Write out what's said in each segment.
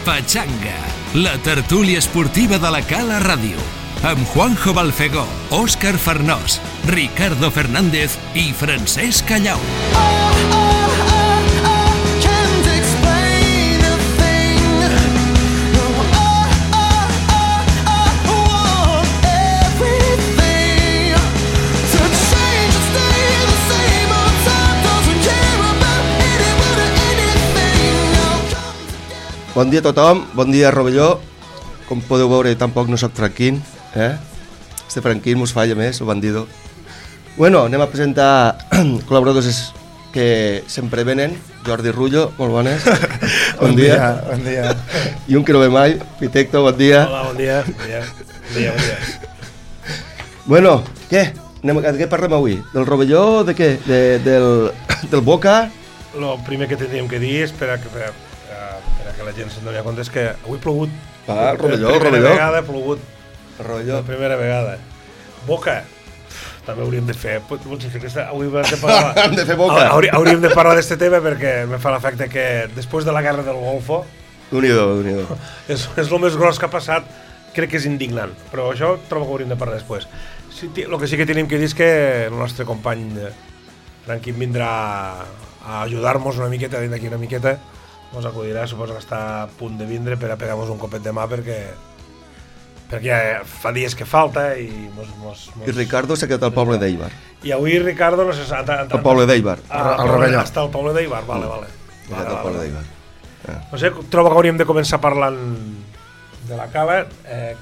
Pachanga, la tertúlia esportiva de la Cala Ràdio, amb Juanjo Balfegó, Òscar Farnós, Ricardo Fernández i Francesc Callau. Bon dia a tothom, bon dia Rovelló. Com podeu veure, tampoc no soc Franquín, Este Franquín mos falla més, el bandido. Bueno, anem a presentar col·laboradors que sempre venen. Jordi Rullo, molt bones. Bon dia. Bon dia. I un que no ve mai, Pitecto, bon dia. Hola, bon dia. Bon dia. Bueno, què? De què parlem avui? Del Rovelló, de què? Del Boca? El primer que tindríem que dir és per a que la gent se'n doni compte és que avui ha plogut. El Rovelló. Per primera vegada ha plogut. Rovelló. Per primera vegada. Boca. També hauríem de fer. Avui hem de parlar. Hem de fer Boca. Hauríem de parlar d'este tema perquè me fa l'efecte que després de la guerra del Golfo Unido. És el més gros que ha passat. Crec que és indignant. Però això trobo que hauríem de parlar després. El que sí que tenim que dir és que el nostre company Franquín vindrà a ajudar-nos una miqueta, d'aquí una miqueta. Ens acudirà, suposo que està a punt de vindre per a pegar-nos un copet de mà perquè ja fa dies que falta i I Ricardo s'ha quedat al poble d'Eibar. I avui Ricardo no sé... Al poble d'Eibar. Al Rovelló. Està al poble d'Eibar, vale. Al poble d'Eibar. No sé, trobo que hauríem de començar parlant de la cava.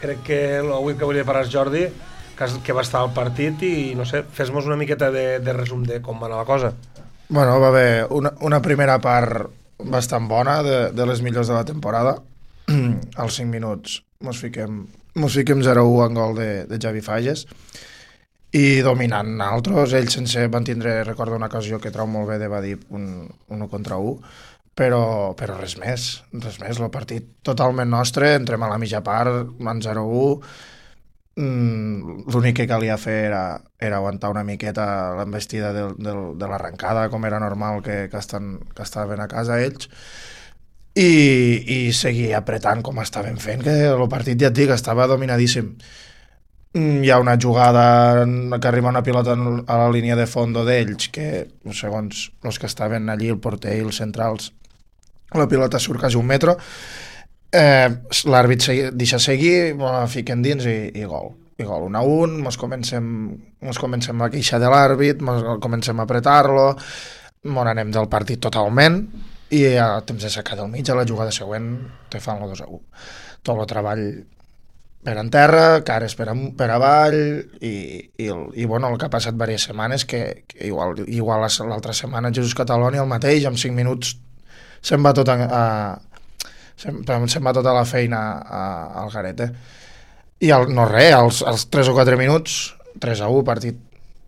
Crec que avui que hauria de parlar és Jordi, que va estar al partit i no sé, fes-nos una miqueta de resum de com va anar la cosa. Bueno, va haver una primera part bastant bona, de les millors de la temporada. Als 5 minuts mos fiquem 0-1 en gol de Javi Falles i dominant altres. Ells van tindre, recordo una ocasió que trau molt bé de Badip, un 1 contra 1, però res més. El partit totalment nostre, entrem a la mitja part, en 0-1. L'únic que calia fer era aguantar una miqueta l'embestida de l'arrencada, com era normal que estaven a casa ells, i seguir apretant com estaven fent, que el partit, ja et dic, estava dominadíssim. Hi ha una jugada que arriba una pilota a la línia de fondo d'ells, que segons els que estaven allí, el porter i els centrals, la pilota surt quasi 1 metre. L'àrbit deixa seguir, la fiquen dins i gol. 1-1, mos comencem a queixar de l'àrbit, comencem a apretar-lo, anem del partit totalment i a temps de sacar del mig, a la jugada següent te fan el 2-1. Tot el treball per en terra, cares per avall i bueno, el que ha passat diverses setmanes que igual l'altra setmana Jesús Catalònia el mateix, en 5 minuts se'n va tota la feina al garet, I no res, als 3 o 4 minuts 3-1, partit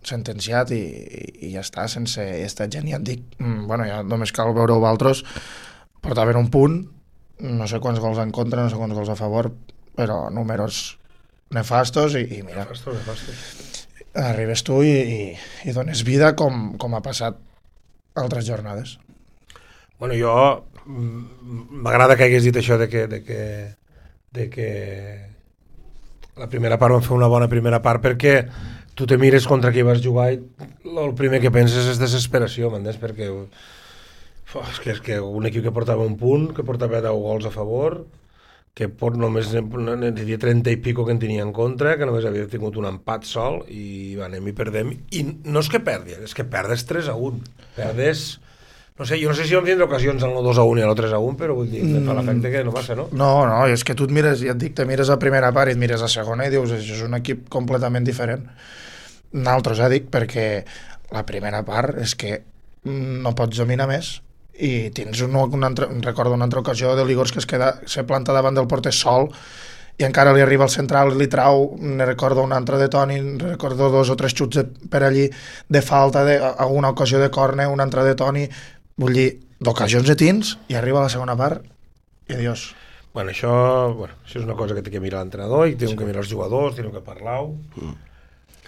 sentenciat i ja està, sense esta gent, ja et dic, bueno, ja només cal veure-ho vosaltres, portaven un punt, no sé quants gols en contra, no sé quants gols a favor, però números nefastos i mira, arribes tu i dones vida com ha passat altres jornades. Bueno, jo m'agrada que hagués dit això de que la primera part vam fer una bona primera part perquè tu te mires contra qui vas jugar i el primer que penses és desesperació, m'entens? Perquè és que un equip que portava un punt, que portava 10 gols a favor, que només diria 30 i pico que en tenia en contra, que només havia tingut un empat sol i anem i perdem, i no és que perdi, és que perdes 3-1, perdes... No sé, jo no sé si vam tindre ocasions en el 2-1 i el 3-1, però vull dir, fa l'efecte que no passa, no? No, és que tu et mires, ja et dic, te mires a primera part i et mires a segona i dius, això és un equip completament diferent. Nosaltres, dic, perquè la primera part és que no pots dominar més i tens recordo una altra ocasió de Ligors que se planta davant del porter sol i encara li arriba al central i li trau, ne recordo una altra de Toni, recordo 2 o 3 xuts per allí de falta, alguna ocasió de córner, una altra de Toni. Vull dir, d'ocasions de tins i arriba a la segona part i adiós. Bueno, això és una cosa que té que mirar l'entrenador i té que mirar els jugadors, té que parlar.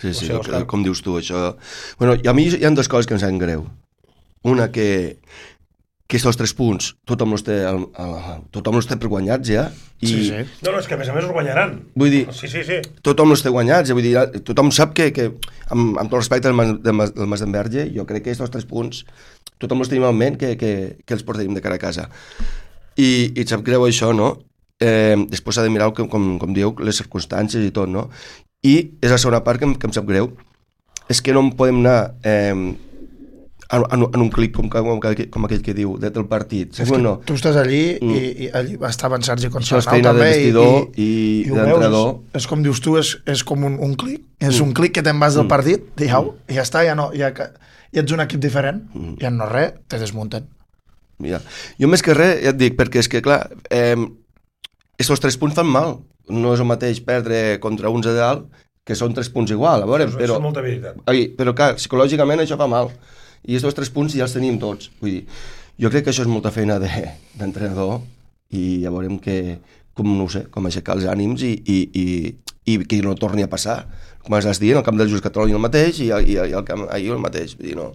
Sí, com dius tu, això... Bueno, a mi hi ha 2 coses que em saben greu. Una que que estos 3 punts tothom els té per guanyats ja i Sí. No, és que a més els guanyaran. vull dir, Sí. tothom els té guanyats, vull dir, tothom sap que amb tot respecte del Mas d'Enverge, jo crec que estos 3 punts tothom els tenim en ment que els portaríem de cara a casa i et sap greu això, no? Després s'ha de mirar, com dieu, les circumstàncies i tot, no? I és la segona part que em sap greu, és que no en podem anar en un clic com aquell que diu del partit. És que tu estàs allí i allí estava en Sergi Això és Consternau feina de també vestidor i ho d'entrenador. veus, és com dius tu, és com un clic, és un clic que te'n vas del partit, i ja està, ja ets un equip diferent, ja no res, te desmunten. Mira, jo més que res, ja et dic, perquè és que clar, estos 3 punts fan mal, no és el mateix perdre contra uns de dalt, que són 3 punts igual, a veure, Però és molta veritat. però clar, psicològicament això fa mal, i estos 3 punts ja els tenim tots, vull dir, jo crec que això és molta feina d'entrenador, i ja veurem com aixecar els ànims i que no torni a passar, com has dit, el camp del Just Catalunya el mateix i el camp ahir el mateix, vull dir, no,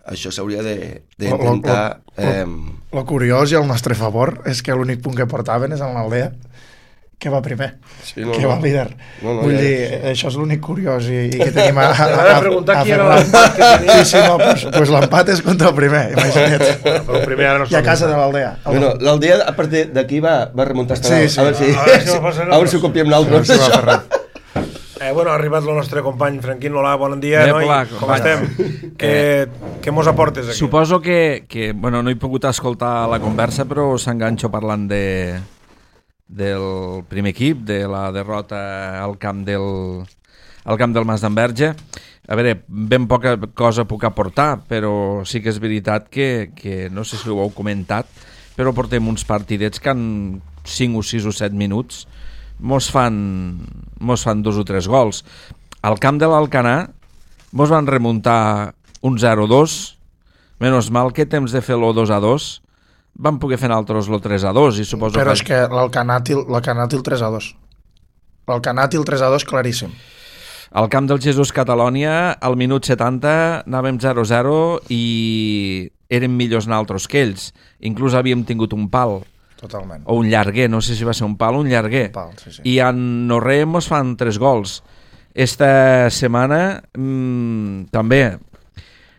això s'hauria d'intentar... Lo curiós i el nostre favor és que l'únic punt que portaven és en l'Aldea, que va primer, que va líder. Vull dir, això és l'únic curiós i que tenim a preguntar qui era l'empat que tenia. Sí, no, doncs l'empat és contra el primer, imagina't. Però el primer ara no I a casa de l'Aldea. Bueno, l'Aldea, a partir d'aquí va remuntar hasta dalt. Sí. A veure si ho copiem nosaltres. Bueno, ha arribat el nostre company Franquín. Hola, bon dia, noi. Com estem? Què mos aportes aquí? Suposo que bueno, no he pogut escoltar la conversa, però s'enganxo parlant del primer equip, de la derrota al camp del Mas d'Enverge. A veure, ben poca cosa puc aportar, però sí que és veritat que no sé si ho heu comentat, però portem uns partidets que en 5 o 6 o 7 minuts mos fan 2 o 3 gols. Al camp de l'Alcanar mos van remuntar un 0-2, menys mal que temps de fer-lo 2-2 van poder fer nosaltres el 3-2 i suposo però és que l'Alcanar té el 3-2. L'Alcanar té el 3-2 claríssim. Al camp del Jesús Catalònia, al minut 70 anàvem 0-0 i érem millors nosaltres que ells. Inclús havíem tingut un pal. Totalment. O un llarguer, no sé si va ser un pal o un llarguer. Un pal, sí. I en no res mos fan 3 gols. Esta setmana també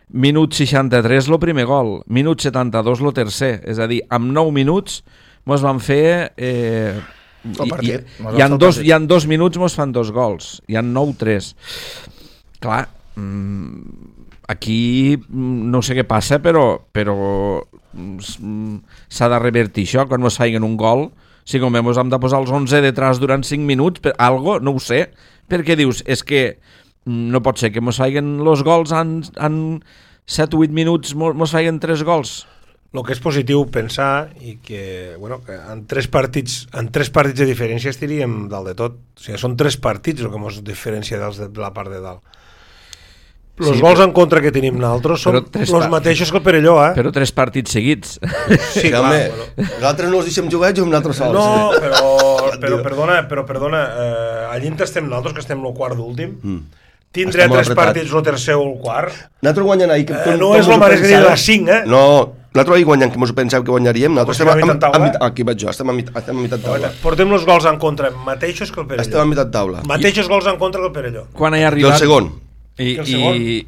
minut 63 el primer gol, minut 72 el tercer, és a dir, amb 9 minuts mos van fer el partit. I en 2 minuts mos fan 2 gols, i en 9 3. Clar, aquí no sé què passa, però s'ha de revertir això. Quan mos feien un gol, si com mos hem de posar els 11 detrás durant 5 minuts, algo, no ho sé, perquè dius, és que no pot ser que mos feien els gols en 7 o 8 minuts, mos feien 3 gols. El que és positiu pensar i que, bueno, que en 3 partits de diferència estiríem dalt de tot. O sigui, són 3 partits el que ens diferencia dels de la part de dalt. Els gols en contra que tenim nosaltres són els mateixos que el Perelló, Però 3 partits seguits. Sí, clar, nosaltres no els deixem jugar, juguem nosaltres sols. No, però perdona, allí estem nosaltres, que estem el quart d'últim, tindré 3 partits el tercer o el quart. Nosaltres guanyant ahir... No és el mateix que dir la 5, No, nosaltres ahir guanyant, que mos ho penseu que guanyaríem, nosaltres estem a mitad taula. Aquí vaig jo, estem a mitad taula. Portem els gols en contra mateixos que el Perelló. Estem a mitad taula. Mateixos gols en contra que el Perelló. Quan he arribat... I el segon.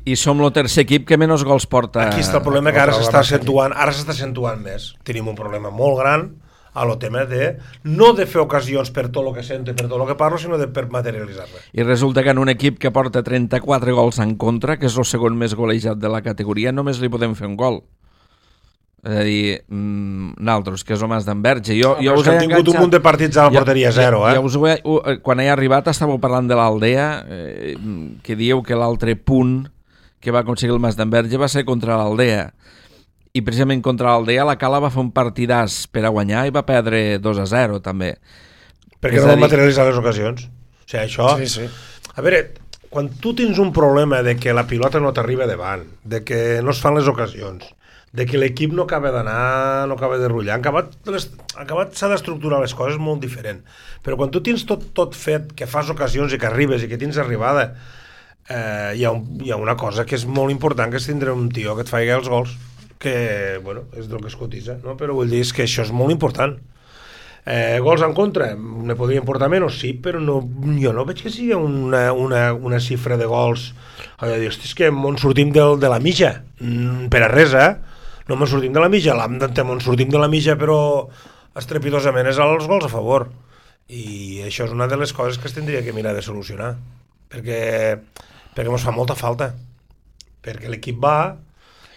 I som el tercer equip que menys gols porta. Aquí està el problema, que ara s'està accentuant més. Tenim un problema molt gran a lo tema de no de fer ocasions per tot el que sento i per tot el que parlo, sinó de per materialitzar-la. I resulta que en un equip que porta 34 gols en contra, que és el segon més golejat de la categoria, només li podem fer un gol. És a dir, nosaltres, que és el Mas d'Enverge. Jo us he tingut un munt de partits a la porteria 0, quan he arribat estàveu parlant de l'Aldea, que dieu que l'altre punt que va aconseguir el Mas d'Enverge va ser contra l'Aldea. I precisament contra l'Aldea la Cala va fer un partidàs per a guanyar i va perdre 2-0 també. Perquè no van materialitzar les ocasions. O sigui, això... Sí. A veure, quan tu tens un problema de que la pilota no t'arriba davant, de que no es fan les ocasions, de que l'equip no acaba d'anar, no acaba de rotllar, acabat s'ha d'estructurar les coses molt diferent. Però quan tu tens tot fet, que fas ocasions i que arribes i que tens arribada, hi ha una cosa que és molt important, que és tindre un tio que et faci els gols. que, bueno, és del que es cotitza, no? Però vull dir que això és molt important. Gols en contra, ne podrien portar menys, sí, però no, jo no veig que sigui una xifra de gols. És que on sortim de la mitja, per a res, no me'n sortim de la mitja, on sortim de la mitja, però estrepitosament és els gols a favor. I això és una de les coses que es tindria que mirar de solucionar, perquè ens fa molta falta, perquè l'equip va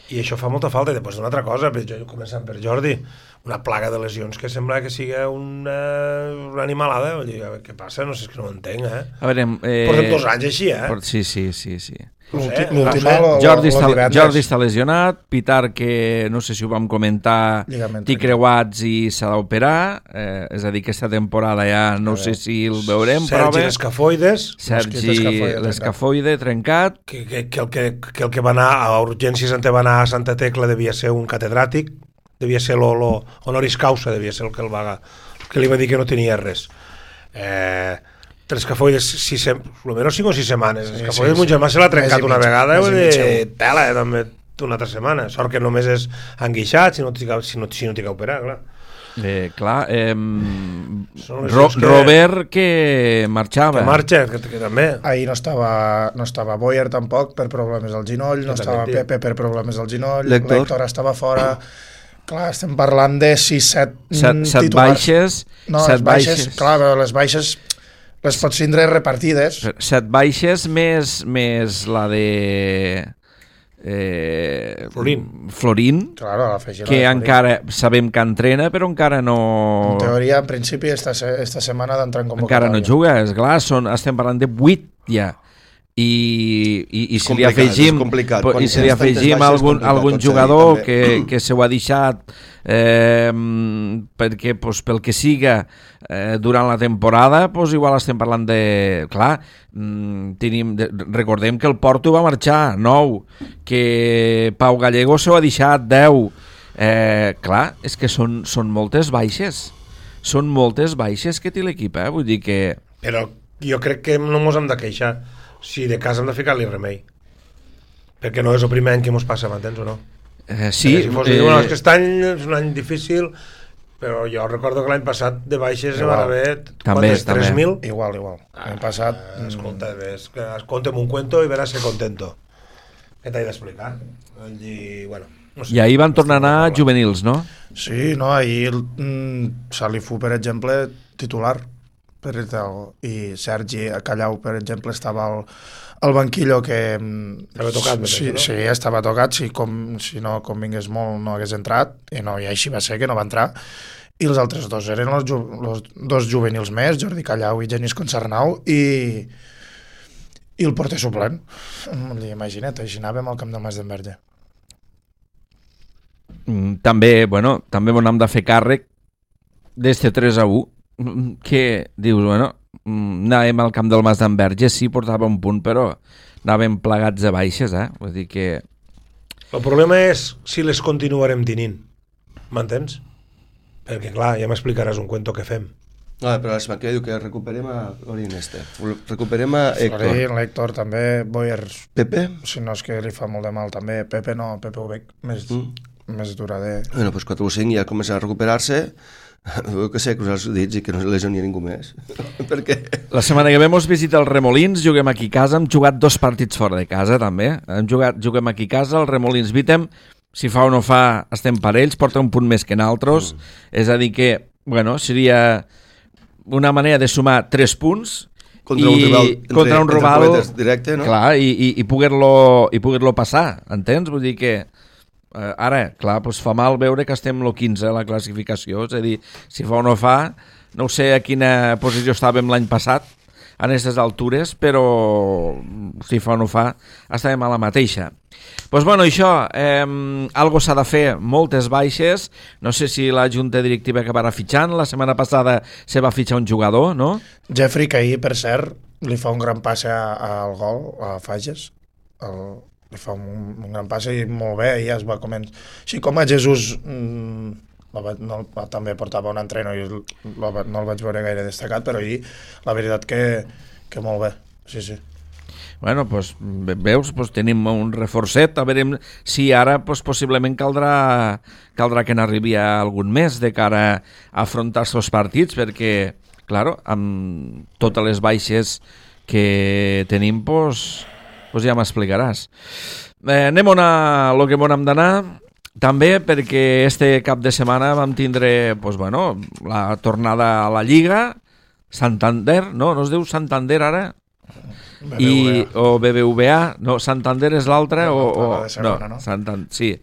i això fa molta falta. I després una altra cosa, començant per Jordi, una plaga de lesions que sembla que sigui una animalada. Què passa? No sé, és que no ho entenc, A veure, portem 2 anys així, Sí. Jordi està lesionat, Pitar, que no sé si ho vam comentar, té creuats i s'ha d'operar, és a dir, que aquesta temporada ja no sé si el veurem, Sergi l'escafoide trencat, que el que va anar a urgències va anar a Santa Tecla devia ser un catedràtic, devia ser l'honoris causa, devia ser el que li va dir que no tenia res. L'escafoides, almenys 5 o 6 setmanes. L'escafoides, mon germà se l'ha trencat una vegada, tela, també una altra setmana. Sort que només és enguixat, si no t'hi que operar, clar. Robert, que marxava. Que marxa, que també. Ahir no estava Boyer tampoc per problemes al genoll, no estava Pepe per problemes al genoll, l'Héctor estava fora. Clar, estem parlant de 6-7 titulars. Set baixes. Clar, les baixes les pots tindre repartides. 7 baixes més la de Florín, claro, que encara sabem que entrena, però encara no... En teoria, en principi, esta setmana d'entrar en convocatòria. Encara no juga, esclar, estem parlant de 8 ja. I si li afegim algun jugador que se ho ha deixat perquè pel que siga durant la temporada, igual estem parlant de... Clar, recordem que el Porto va marxar 9, que Pau Gallego se ho ha deixat 10. Clar, és que són moltes baixes, que té l'equip, vull dir que... Però jo crec que no mos hem de queixar. Si de cas hem de ficar-li remei, perquè no és el primer any que mos passa, m'entens o no? Sí. Si fos és que aquest any és un any difícil, però jo recordo que l'any passat de baixes van haver 3.000. Igual. L'any passat... Escolta, conta'm un cuento i veràs que contento. Què t'he d'explicar? Bueno, no sé. I ahir van tornar a anar juvenils, no? Sí, no, ahir Salifú, per exemple, titular, i Sergi Callau, per exemple, estava al banquillo, que estava tocat, sí, estava tocat, si no convingués molt no hagués entrat, i així va ser, que no va entrar, i els altres dos eren els dos juvenils més, Jordi Callau i Genís Concarnau, i el porter suplent. Imagina't, així anàvem al camp del Mas d'Enverge. També hem de fer càrrec d'este 3-1, que dius, anàvem al camp del Mas d'Enverge, sí, portava un punt, però anàvem plegats de baixes, vull dir que... El problema és si les continuarem tenint, m'entens? Perquè, clar, ja m'explicaràs un cuento que fem. No, però la setmana que diu que recuperem a Florín recuperem a Héctor. Florín, l'Héctor també, Boyer... Pepe? Si no és que li fa molt de mal també. Pepe no, Pepe ho veig més durador. Bueno, doncs 4 o 5 ja comença a recuperar-se. Veu que sé, cruzar els dits i que no se lesioni ningú més. Perquè... La setmana que ve mos visita el Remolins, juguem aquí a casa, hem jugat 2 partits fora de casa també, juguem aquí a casa, el Remolins Vitem, si fa o no fa estem parells, porta un punt més que nosaltres, és a dir que, seria una manera de sumar 3 punts contra un rival directe, no? Clar, i poder-lo passar, entens? Vull dir que ara, clar, fa mal veure que estem el 15 a la classificació, és a dir, si fa o no fa, no sé a quina posició estàvem l'any passat a aquestes altures, però si fa o no fa, estàvem a la mateixa. Doncs això, algo s'ha de fer, moltes baixes, no sé si la junta directiva acabarà fitxant, la setmana passada se va fitxar un jugador, no? Jeffrey, que ahir, per cert, li fa un gran passe al gol, a Fages, li fa un gran passe i molt bé, ja es va començar. Així com a Jesús també portava un entreno i no el vaig veure gaire destacat, però ahir la veritat que molt bé, sí. Bueno, doncs, veus, doncs, tenim un reforcet, a veure si ara doncs, possiblement caldrà que n'arribi algun més de cara a afrontar els partits, perquè, claro, amb totes les baixes que tenim, doncs ja m'explicaràs. Anem a lo que hem d'anar, també perquè este cap de setmana vam tindre la tornada a la Lliga, Santander, no es diu Santander ara? O BBVA, no, Santander és l'altre no? Sí.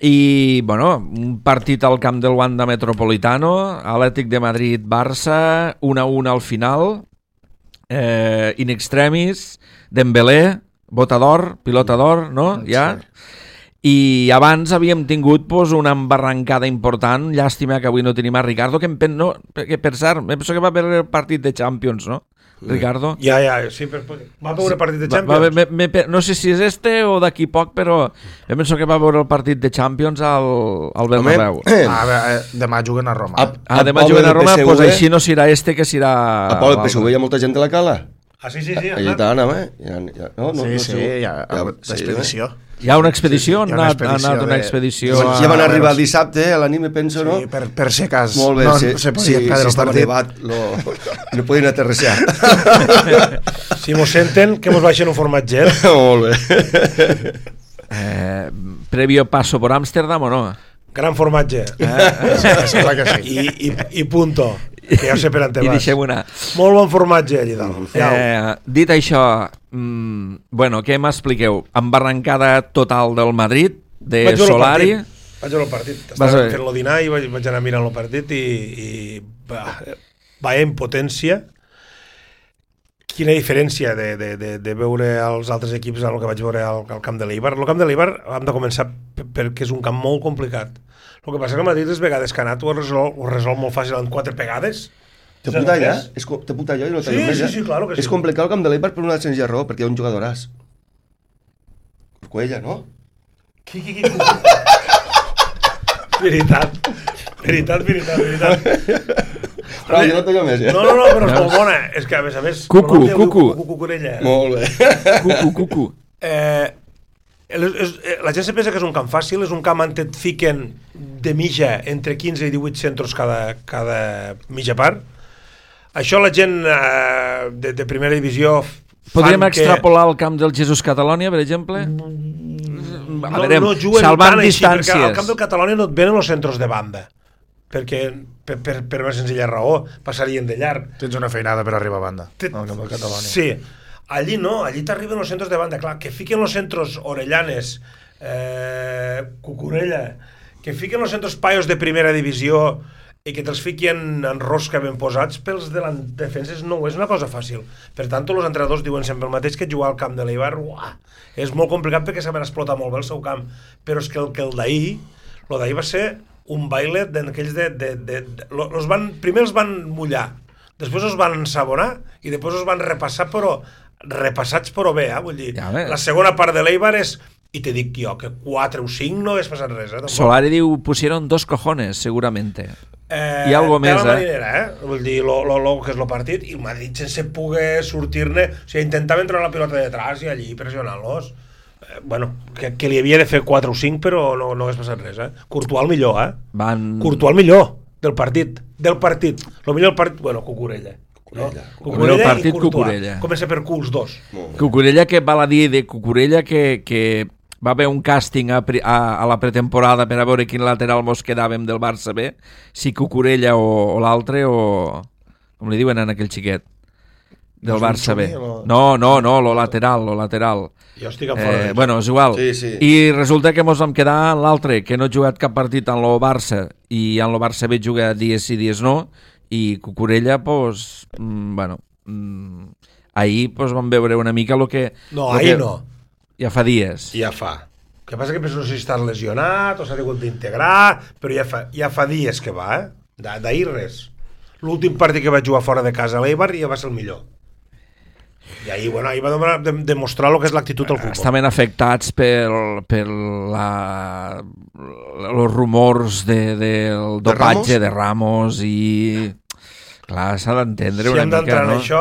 I, un partit al camp del Wanda Metropolitano, Atlètic de Madrid, Barça, 1-1 al final, in extremis, Dembélé, bota d'or, pilota d'or, no? Ja. I abans havíem tingut una embarrancada important, llàstima que avui no tenim a Ricardo, que per cert, penso que va haver el partit de Champions, no? Ricardo? Ja, sí, va veure el partit de Champions. No sé si és este o d'aquí poc, però penso que va veure el partit de Champions al Bernabéu. Demà juguen a Roma. Demà juguen a Roma, doncs així no serà este que serà... A Pol del PSV hi ha molta gent de la cala? Sí. Allà tant, Sí, hi ha l'expedició. Hi ha una expedició? Ha anat una expedició... Ja van arribar dissabte, a la nit, penso, no? Sí, per si cas molt bé, no se podia perdre el partit. No podien aterrissar. Si mos senten, que mos baixen un formatger. Molt bé. Previo paso por Ámsterdam o no? Gran formatge. Sembla que sí. I punto. Que ja sé per on te vas. I deixem una... Molt bon formatge allà dalt. Dit això, què m'expliqueu? Embarrancada total del Madrid, de Solari. Vaig veure el partit. Estava fent-lo dinar i vaig anar mirant el partit i vaya impotència. Quina diferència de veure els altres equips amb el que vaig veure al camp de l'Eibar. El camp de l'Eibar hem de començar perquè és un camp molt complicat. El que passa que el Madrid les vegades que ha anat ho resol molt fàcil en 4 pegades. Te puta allà? Te puta allà? Sí, claro que sí. És complicat el camp de l'Eibar per una senzilla raó, perquè hi ha un jugadoràs. Cuella, no? Veritat. Però jo no t'ho més, ja. No, però és molt bona. És que, a més... Cucurella. Molt bé. Cucu. La gent se pensa que és un camp fàcil, és un camp on et fiquen de mitja entre 15 i 18 centros cada mitja part. Això la gent de primera divisió podríem extrapolar el camp del Jesús Catalònia, per exemple? No juguen salvant tant distàncies. Així, perquè al camp del Catalònia no et venen els centros de banda, perquè per una senzilla raó passarien de llarg. Tens una feinada per arribar a banda al camp del Catalònia. Sí, allí no, allí t'arriben els centros de banda, clar, que fiquen els centros Orellanes, Cucurella, que fiquen els centros paios de primera divisió i que te'ls fiquen en rosca ben posats pels defenses no és una cosa fàcil. Per tant, els entrenadors diuen sempre el mateix, que jugar al camp de l'Eibar és molt complicat perquè saben explotar molt bé el seu camp, però és que el d'ahir va ser un baile d'aquells primer els van mullar, després els van ensabonar i després els van repassar, però repassats però bé, vull dir, la segona part de l'Eibar és, i te dic jo, que 4 o 5 no hagués passat res. Solari diu, pusieron 2 cojones, seguramente. I algo més, marinera, vull dir, lo que és el partit, i el Madrid sense poder sortir-ne, o sigui, intentava entrar la pilota de detrás i allí pressionant-los. Que li havia de fer 4 o 5, però no hagués passat res, Courtois el millor, Courtois el millor del partit. El millor del partit, Cucurella. Cucurella i Courtois. Comença per Q els dos. Cucurella, que val a dir de Cucurella que va haver un càsting a la pretemporada per a veure quin lateral mos quedàvem del Barça B, si Cucurella o l'altre, o com li diuen en aquell xiquet del Barça B. No, lo lateral. Jo estic en fora. És igual. Sí. I resulta que mos vam quedar en l'altre, que no ha jugat cap partit en lo Barça, i en lo Barça B juga dies sí, dies no, i Cucurella, ahir vam veure una mica el que... No, ahir no. Ja fa dies. Ja fa. El que passa que penso no sé si estàs lesionat o s'ha hagut d'integrar, però ja fa dies que va, d'ahir res. L'últim partit que vaig jugar fora de casa a l'Eibar ja va ser el millor. I ahir va demostrar el que és l'actitud del futbol. Estaven afectats per els rumors del dopatge de Ramos i... Clar, s'ha d'entendre Si una hem mica, d'entrar en no? això,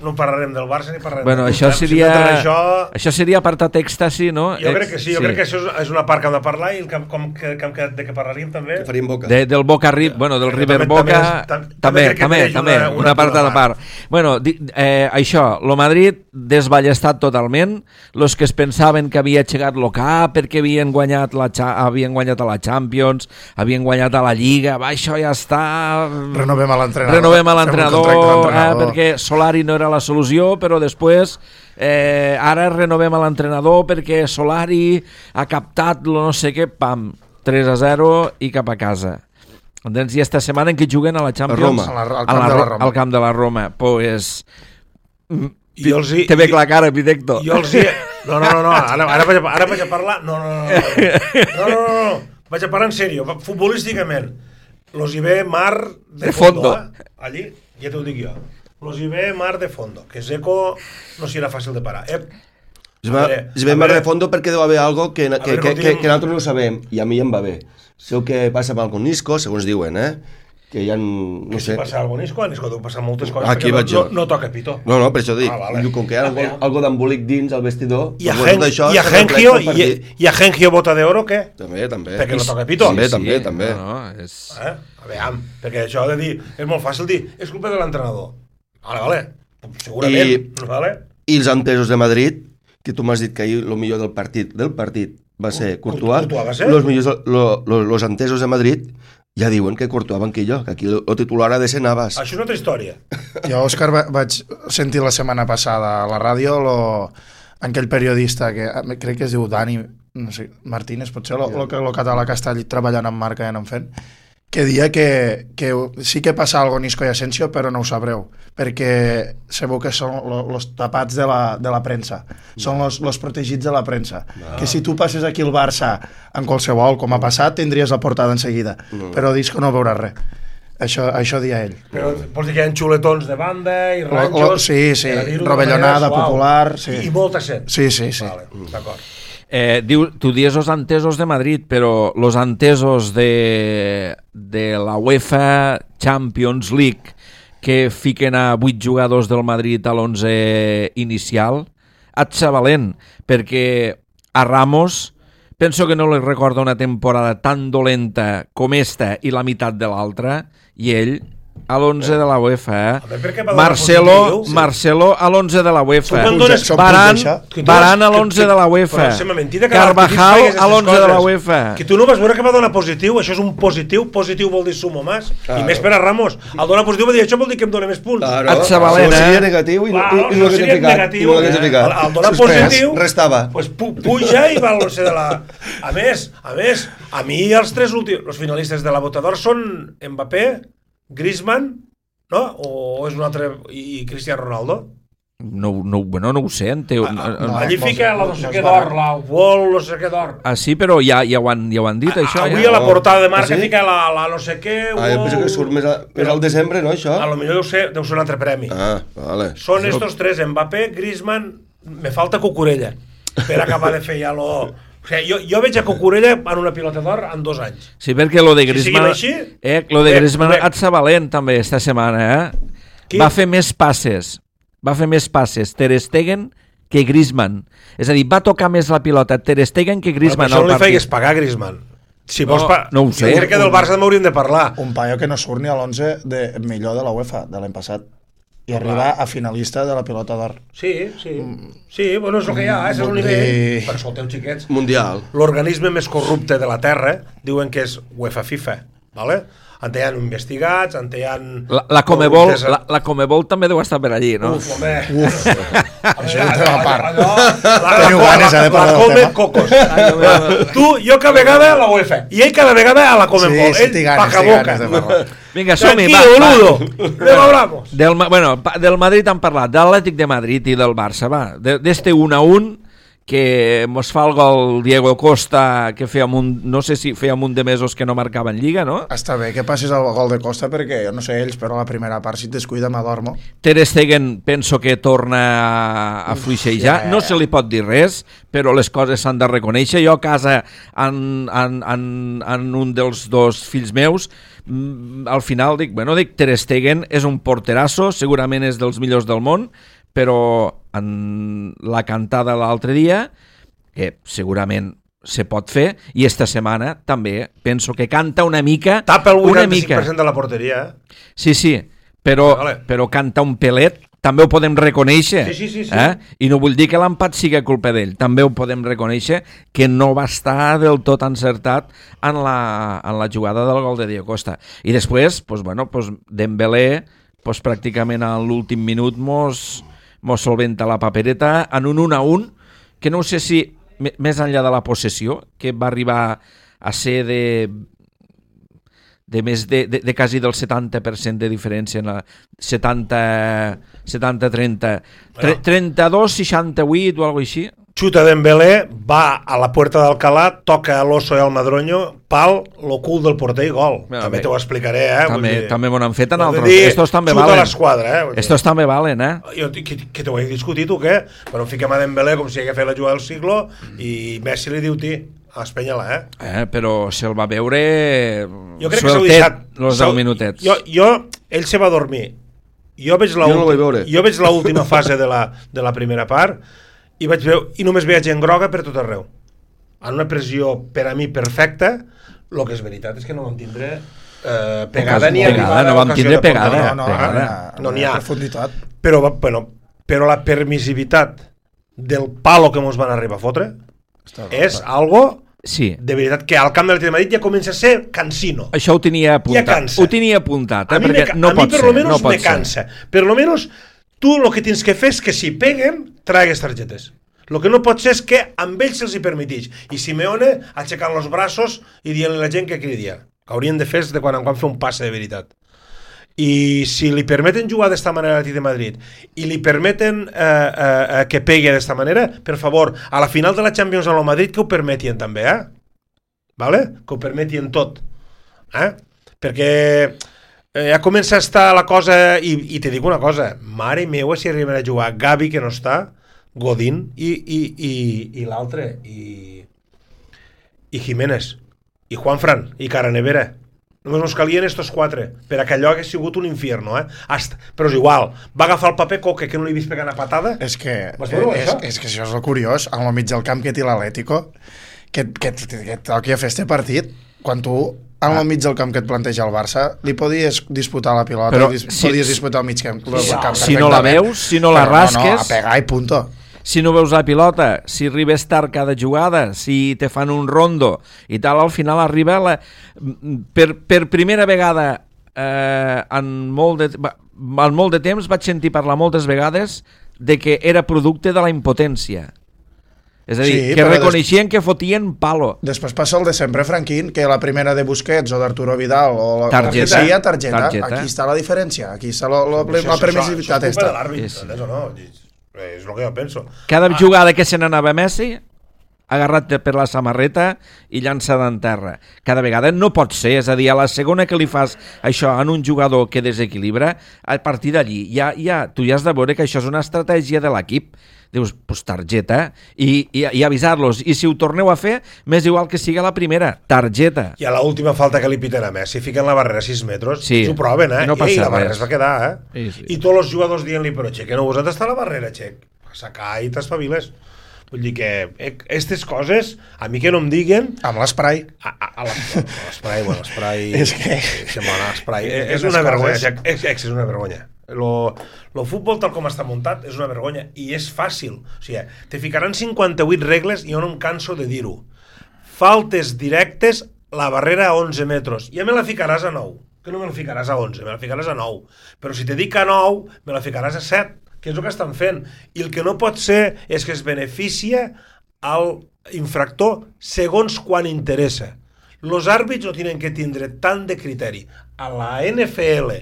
no parlarem del Barça ni parlarem Bueno, del això Tottenham. seria... Si hem d'entrar en això... Això seria apartat èxtasi, no? Jo crec que sí, jo crec que això és una part que hem de parlar i de què parlaríem també. Que faríem boca. Del Boca River, bueno, del River també- Boca també crec que mereix una part a la part. Bueno, això, lo Madrid desballestat totalment, los que es pensaven que havia aixecat lo cap perquè havien guanyat a la Champions, havien guanyat a la Lliga, va, això ja està... Renovem a l'entrenador. Renovem a Fem un l'entrenador, contracte d'entrenador. perquè Solari no era la solució, però després ara renovem a l'entrenador perquè Solari ha captat lo no sé què, pam, 3-0 i cap a casa. Entens? I esta setmana en què juguen a la Champions? Roma. Al camp de la Roma. Pues... Te ve la cara, Pitecto. Jo els hi... No, ara vaig a parlar... No. Vaig a parlar en sèrio, futbolísticament. Los hi ve mar de fondo. Allí, ja t'ho dic jo. Los hi ve mar de fondo. Que Zeko no serà fàcil de parar. Es ve mar de fondo perquè deu haver algo que nosaltres no sabem, i a mi em va bé. Sé que passa amb el Nisco, segons diuen, que hi ha... No sé. Si passa algo Nisco deu passar moltes coses Aquí vaig jo. No toca pito. No, per això dic. Vale. Com que hi ha algo d'embolic dins al vestidor... I a Gengio Bota de Oro, què? També. Perquè no toca pito. També. No, és... A veure, perquè això de dir... És molt fàcil dir, és culpa de l'entrenador. Vale. Segurament. I els entesos de Madrid, que tu m'has dit que ahir el millor del partit va ser Courtois. Los entesos de Madrid ja diuen que Courtois banquillo, que aquí el titular ha de ser Navas. Això és una altra història. Jo, Òscar, vaig sentir la setmana passada a la ràdio aquell periodista que crec que es diu Dani, no sé, Martínez, potser el català que està treballant en marca i en fent, que dia que sí que passa algo Nisco i Asensio, però no ho sabreu, perquè sabeu que són els tapats de la premsa, són els protegits de la premsa, que si tu passes aquí al Barça en qualsevol, com ha passat, tindries la portada en seguida, però Nisco no veurà res. Això dia ell. Però vols dir que hi ha xuletons de banda i ranxos... Sí, rovellonada, popular... I molta set. Sí. Vale, d'acord. Tu dius els entesos de Madrid, però els entesos de la UEFA Champions League que fiquen a 8 jugadors del Madrid a l'11 inicial, et valent, perquè a Ramos penso que no li recorda una temporada tan dolenta com esta i la meitat de l'altra, i ell a l'11 de la UEFA, Marcelo a l'11 de la UEFA, Varane a l'11 de la UEFA, Carvajal a l'11 de la UEFA. Que tu no vas veure que va donar positiu, això és un positiu vol dir sumo más, i més per a Ramos. El donar positiu va dir, això vol dir que em dona més punts. Seria negatiu i no l'hagués ficat. El donar positiu restava. Puja i va a l'11 de la... A més, a mi els tres últims, els finalistes de la Bota d'Or són Mbappé, Griezmann, no? O és un altre... i Cristiano Ronaldo? No ho sé. Allí fica la no sé què d'or, la Wall no sé què d'or. Ah, sí, però ja ho han dit, això. Avui a la portada de marca fica la no sé què... Jo penso que surt més al desembre, no, això? A lo millor deu ser un altre premi. Vale. Són estos tres, Mbappé, Griezmann... Me falta Cucurella per acabar de fer ja lo... O sigui, jo veig a Cucurella en una pilota d'or en 2 anys. Sí, perquè lo de Griezmann... Griezmann et sa valent també esta setmana, Va fer més passes Ter Stegen que Griezmann. És a dir, va tocar més la pilota Ter Stegen que Griezmann al partit. Això no li feigues pagar a Griezmann. Si vols no ho sé. Jo crec que del Barça m'hauríem de parlar. Un paio que no surt ni a l'11 millor de la UEFA de l'any passat. I arribar a finalista de la pilota d'or. Sí, bueno, és el que hi ha, és el nivell. Per escolteu, xiquets. Mundial. L'organisme més corrupte de la Terra diuen que és UEFA FIFA, ¿vale? En hi ha investigats, en hi ha... La Comebol també deu estar per allí, no? Uf, home. Això és un tema a part. La Come Cocos. Jo cada vegada a la UEFA i ell cada vegada a la Comebol. Ell paca-boca. Vinga, som-hi, va. Luego hablamos. Del Madrid han parlat, de l'Atlètic de Madrid i del Barça, va. D'este 1-1 que mos fa el gol Diego Costa, que no sé si feia un de mesos que no marcava en Lliga, no? Està bé que passis el gol de Costa perquè, jo no sé ells, però la primera part si et descuida m'adormo. Ter Stegen penso que torna a fluixejar, no se li pot dir res, però les coses s'han de reconèixer. Jo a casa, en un dels dos fills meus, al final dic Ter Stegen és un porterasso, segurament és dels millors del món, però en la cantada l'altre dia, que segurament se pot fer, i esta setmana també penso que canta una mica. Tapa el 85% de la porteria, Sí, però canta un pelet, també ho podem reconèixer. Sí. I no vull dir que l'empat sigui culpa d'ell, també ho podem reconèixer que no va estar del tot encertat en la jugada del gol de Diego Costa. I després, Dembélé, pràcticament a l'últim minut mos solventa la papereta en un 1-1, que no sé si més enllà de la possessió, que va arribar a ser de més de quasi del 70% de diferència en la 70-30 32-68 o alguna així. Xuta Dembélé, va a la puerta d'Alcalá, toca a l'Oso i al Madroño, pal, lo cul del porter i gol. També t'ho explicaré, També m'ho han fet en altres. Estos també xuta valen. l'esquadra, Estos també valen, Jo, que t'ho he discutit, o què? Però fiquem a Dembélé com si hagués fet la jugada del siglo i Messi li diu espenya-la, però se'l va veure jo crec que s'ho deixat els 10 minutets. Ell se va dormir. Jo veig l'última fase de la primera part i només veig gent groga per tot arreu. En una pressió per a mi perfecta, el que és veritat és que no vam tindre pegada ni arribada. No vam tindre pegada. No n'hi ha. Profunditat. Però la permissivitat del palo que mos van arribar a fotre és algo de veritat que al camp de l'Atlètic de Madrid ja comença a ser cansino. Això ho tenia apuntat. A mi per lo menos me cansa. Per lo menos tu el que tens que fer és que si peguen, tragues targetes. El que no pot ser és que amb ells se'ls hi permetix. I Simeone aixecant els braços i dient-li a la gent que cridia. Que haurien de fer de quan en quan fer un passe de veritat. I si li permeten jugar d'esta manera a l'Atlètic de Madrid i li permeten que pegui d'esta manera, per favor, a la final de la Champions a lo Madrid que ho permetien també, vale? Que ho permetien tot. Perquè ja comença a estar la cosa, i te dic una cosa, mare meua si arriben a jugar Gavi, que no està, Godín i l'altre, i Jiménez, i Juanfran, i Caranevera. Només ens calien estos quatre, per a que allò hagués sigut un infierno, però és igual, va agafar el paper Coque, que no li he vist pegant a patada. És que això és el curiós, al mig del camp que té l'Atlético, que toqui a fer este partit, quan tu al mig del camp que et planteja el Barça, li podies disputar la pilota, podies disputar el mig camp. Si no la veus, si no la rasques... No, a pegar i punto. Si no veus la pilota, si arribes tard cada jugada, si te fan un rondo i tal, al final arriba per primera vegada en molt de temps vaig sentir parlar moltes vegades de que era producte de la impotència. És a dir, que reconeixien que fotien palo. Després passa el de sempre, Franquín, que la primera de Busquets o d'Arturo Vidal o targeta. Aquí està la diferència, aquí està la permissivitat. Això és culpa de l'àrbit, o no? És el que jo penso. Cada jugada que se n'anava Messi, agarrat per la samarreta i llançada en terra. Cada vegada no pot ser, és a dir, a la segona que li fas això en un jugador que desequilibra, a partir d'allí tu ja has de veure que això és una estratègia de l'equip. Dius, pues targeta, i avisar-los. I si ho torneu a fer, m'és igual que sigui la primera, targeta. I a l'última falta que li piten a Messi, fiquen la barrera a 6 metres, ho proven, no passa la barrera es va quedar, Sí. I tots els jugadors dient-li, però Xec, que no vos han d'estar a la barrera, Xec. Sacar i t'espaviles. Vull dir que aquestes coses, a mi que no em diguen... Amb l'esprai. L'esprai... És que... És una vergonya, és una vergonya. El futbol tal com està muntat és una vergonya i és fàcil, o sigui, te ficaran 58 regles i jo no em canso de dir-ho. Faltes directes, la barrera a 11 metres, ja me la ficaràs a 9, que no me la ficaràs a 11, me la ficaràs a 9, però si te dic a 9 me la ficaràs a 7, que és el que estan fent, i el que no pot ser és que es beneficia al infractor segons quan interessa. Els àrbits no tenen que tindre tant de criteri. A la NFL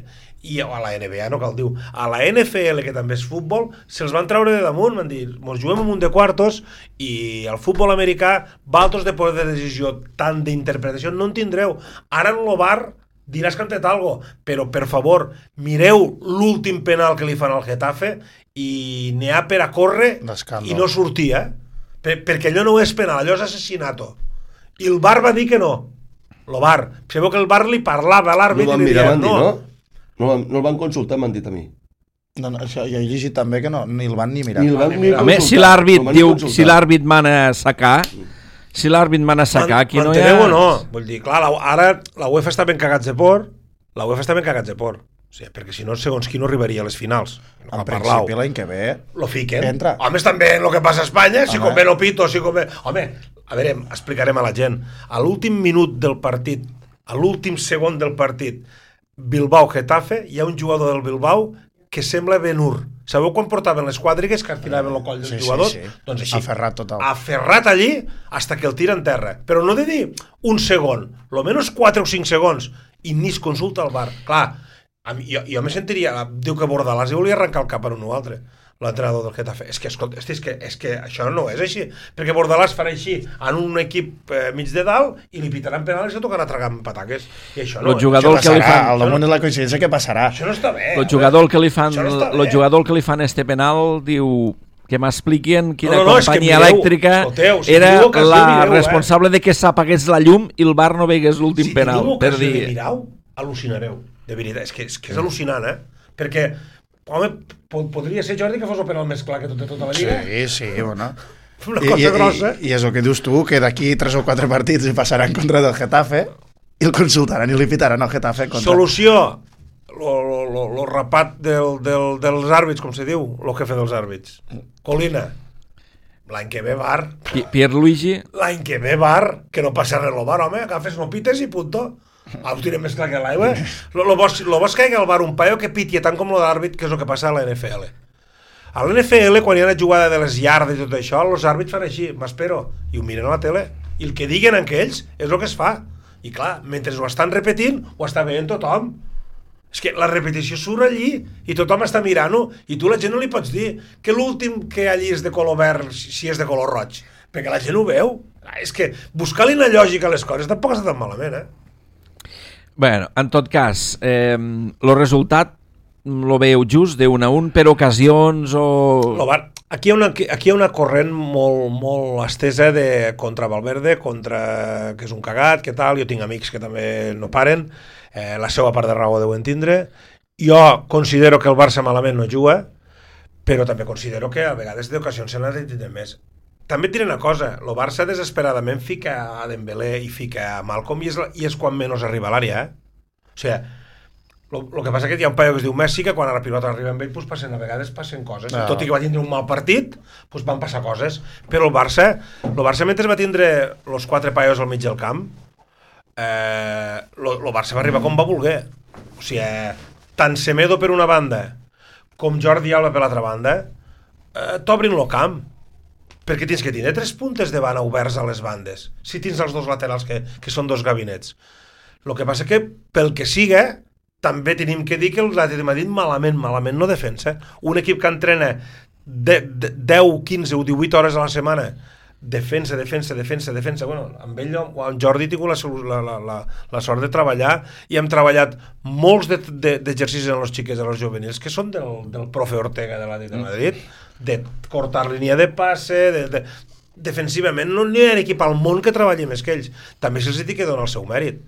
i a la NBA, no cal dir, a la NFL, que també és futbol, se'ls van treure de damunt, van dir, mos juguem en un de quartos i el futbol americà, valtos de poder de decisió, tant d'interpretació, no en tindreu. Ara en el bar diràs que han tret algo, però per favor, mireu l'últim penal que li fan al Getafe i n'hi ha per a córrer i no sortir, perquè allò no és penal, allò és assassinato. I el bar va dir que no. El bar. Sabeu que el bar li parlava a l'àrbit i li deia no. No el van consultar, m'han dit a mi. No, això, jo he llegit també que no, ni el van ni mirar. Home, si l'àrbit diu, si l'àrbit mana a sacar, aquí no hi ha... o no? Vull dir, clar, ara la UEFA està ben cagats de por, o sigui, perquè si no, segons qui no arribaria a les finals. En principi, l'any que ve... Lo fiquen. Entra. Homes, també en el que passa a Espanya, si convé no pito, si convé... Home, a veure, explicarem a la gent. A l'últim minut del partit, a l'últim segon del partit, Bilbao-Getafe, hi ha un jugador del Bilbao que sembla Ben-Hur. Sabeu quan portaven les quadrigues que artilaven el coll dels jugadors? Sí. Doncs així. Aferrat total. Aferrat allí hasta que el tira en terra. Però no de dir un segon, lo menos 4 o 5 segons, i ni es consulta al bar. Clar, jo me sentiria... Diu que Bordalàs volia arrencar el cap per un o altre, l'entrenador del Getafe. És que, escolta, és que això no és així, perquè Bordalàs farà així en un equip mig de dalt i li pitaran penal i se tocarà tragar amb pataques. I això no. El jugador que li fan... Al damunt és la coincidència que passarà. Això no està bé. El jugador que li fan este penal diu que m'expliquin quina companyia elèctrica era la responsable de que s'apagués la llum i el bar no veigués l'últim penal. Si teniu ocasió de mirar-ho, al·lucinareu. De veritat, és que és al·lucinant, Perquè, home, podria ser, Jordi, que fos el penal més clar que tota la lliga. Sí, bueno. Una cosa grossa. I és el que dius tu, que d'aquí 3 o 4 partits hi passaran contra del Getafe i el consultaran i li pitaran al Getafe contra... Solució, lo rapat dels àrbits, com se diu, lo jefe dels àrbits. Colina, l'any que ve bar. Pierluigi. L'any que ve bar, que no passa res al bar, home, agafes no pites i punto. Ho tirem més clar que l'aigua. Lo vols que hi ha al bar un paio que pitia tant com lo d'àrbit, que és el que passa a la NFL. A la NFL, quan hi ha la jugada de les yardes i tot això, els àrbits fan així, m'espero, i ho miren a la tele. I el que diguen aquells és el que es fa. I clar, mentre ho estan repetint, ho està veient tothom. És que la repetició surt allí i tothom està mirant-ho i tu a la gent no li pots dir que l'últim que allí és de color verd si és de color roig, perquè la gent ho veu. És que buscar-li una lògica a les coses tampoc està tan malament, Bueno, en tot cas, el resultat lo veieu just de 1-1 per ocasions o... Aquí hi ha una corrent molt estesa de contra Valverde, contra que és un cagat, que tal, jo tinc amics que també no paren, la seva part de raó deuen tindre. Jo considero que el Barça malament no juga, però també considero que a vegades d'ocasions se n'ha de tindre més. També et diré una cosa, el Barça desesperadament fica a Dembélé i fica a Malcom i és quan menys arriba a l'àrea, O sigui, el que passa que hi ha un paio que es diu Messi que quan a la pilota arriba amb ell doncs a vegades passen coses. Tot i que va tindre un mal partit, doncs van passar coses. Però el Barça mentre va tindre els 4 paios al mig del camp, el Barça va arribar com va voler. O sigui, tant Semedo per una banda com Jordi Alba per l'altra banda, t'obrin el camp. Perquè tens que tindre 3 puntes de banda oberts a les bandes, si tens els 2 laterals que són 2 gabinets. El que passa que, pel que siga, també tenim que dir que l'Atlètic de Madrid malament no defensa. Un equip que entrena 10, 15 o 18 hores a la setmana, defensa. Bueno, amb ell, amb Jordi, he tingut la sort de treballar i hem treballat molts d'exercicis en els xiquets, en els juvenils, que són del profe Ortega de l'Atlètic de Madrid, de cortar línia de passe, defensivament no hi ha equip al món que treballi més que ells. També se'ls ha de donar el seu mèrit.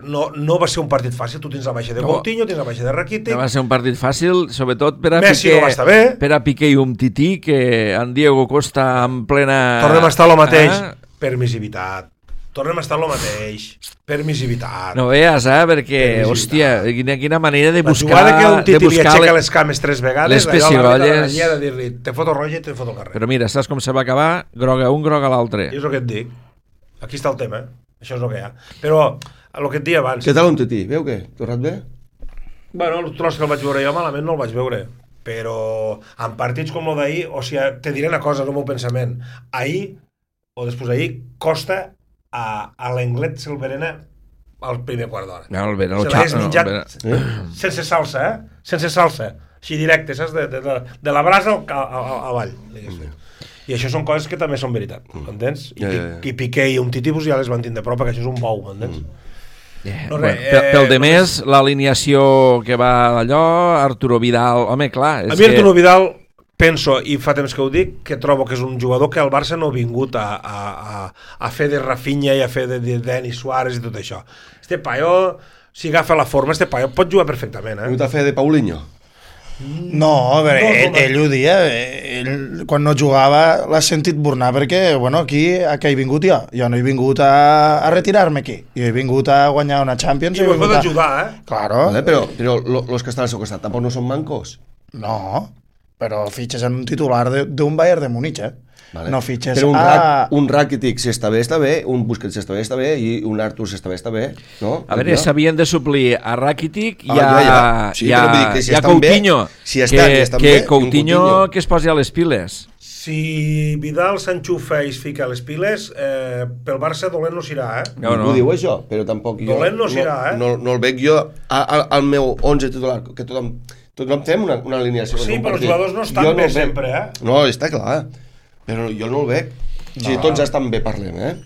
No va ser un partit fàcil. Tu tens la baixa de Coutinho, tens la baixa de Rakitic. No va ser un partit fàcil, sobretot per a Messi no va estar bé, per a Piqué i Umtiti, que en Diego Costa en plena... Tornem a estar lo mateix. Permissivitat. Tornem a estar lo mateix. Permissivitat. No veus, perquè, hòstia, quina manera de buscar... La jugada que Umtiti li aixeca les cames 3 vegades, les pessigolles... allò de dir-li, te foto roja i te foto al carrer. Però mira, saps com se va acabar? Groga un, groga l'altre. I és el que et dic. Aquí està el tema, Això és el que hi ha. Però, el que et dia abans... Què tal Umtiti? Veu què? Tornat bé? Bueno, el tros que el vaig veure jo malament no el vaig veure. Però en partits com el d'ahir, o sigui, te diré una cosa, el meu pensament. Ahir, o després d'ahir, Costa a l'Englet Silverena al primer quart d'hora. No, el Se l'hagués menjat sense salsa, Sense salsa. Així directe, saps? De la brasa avall, diguéssim. I això són coses que també són veritat, entens? I Piqué i Umtiti ja les van tindre prop, perquè això és un bou, entens? Pel de més, l'alineació que va allò, Arturo Vidal, home, clar... A mi Arturo Vidal, penso, i fa temps que ho dic, que trobo que és un jugador que el Barça no ha vingut a fer de Rafinha i a fer de Denis Suárez i tot això. Este paio, si agafa la forma, este paio pot jugar perfectament, Ha vingut a fer de Paulinho? No, a veure, ell ho dia, quan no jugava l'ha sentit burnar, perquè, bueno, aquí he vingut jo no he vingut a retirar-me aquí, jo he vingut a guanyar una Champions. I vos pot ajudar, Claro. Vale, però los que estan al seu costat tampoc no són mancos? No, però fitxes en un titular d'un Bayern de Múnich, Vale. No fitxes però un Rakitic si està bé, un Busquets si està bé, i un Artur si està bé, no? A veure, s'havien de suplir a Rakitic i Sí, però vull dir que si a Coutinho, que Coutinho que es posi a les piles. Si Vidal s'enxufa i es fica a les piles, pel Barça dolent no s'irà, No ho diu això, però tampoc jo... Dolent no s'irà, No el veig jo al meu 11 titular, que tothom fem una alineació. Sí, però els jugadors no estan bé sempre, No, està clar, però jo no el veig. Si tots estan bé, parlem,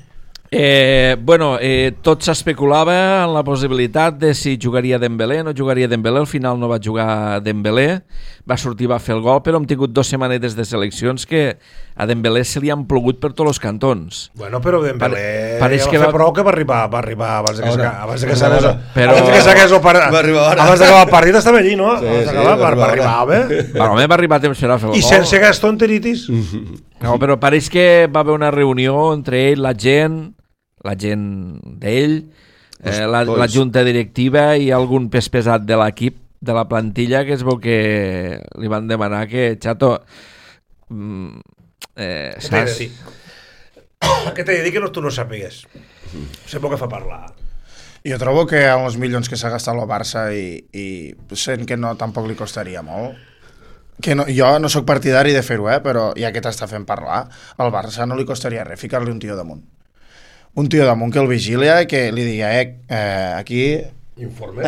Tot s'especulava en la possibilitat de si jugaria Dembélé, no jugaria Dembélé, al final no va jugar Dembélé, va sortir, va fer el gol, però hem tingut 2 setmanetes de seleccions que a Dembélé se li han plogut per tots els cantons. Bueno, però Dembélé pareix que va fer prou que va arribar abans de que s'hagués abans d'acabar el partit estava allí, no? Va arribar bé. Home, va arribar a temps per a fer el gol. I sense gastroenteritis. No, però pareix que va haver una reunió entre ell, la gent d'ell, la junta directiva i algun pes pesat de l'equip, de la plantilla, que es veu que li van demanar que, xato, saps? Què t'he de dir que tu no sàpigues? Sé poc que fa parlar. Jo trobo que amb els milions que s'ha gastat el Barça i sent que no, tampoc li costaria molt, que no, jo no sóc partidari de fer-ho, però ja que t'està fent parlar, al Barça no li costaria res ficar-li un tio damunt. Un tio damunt que el vigilia i que li digui, aquí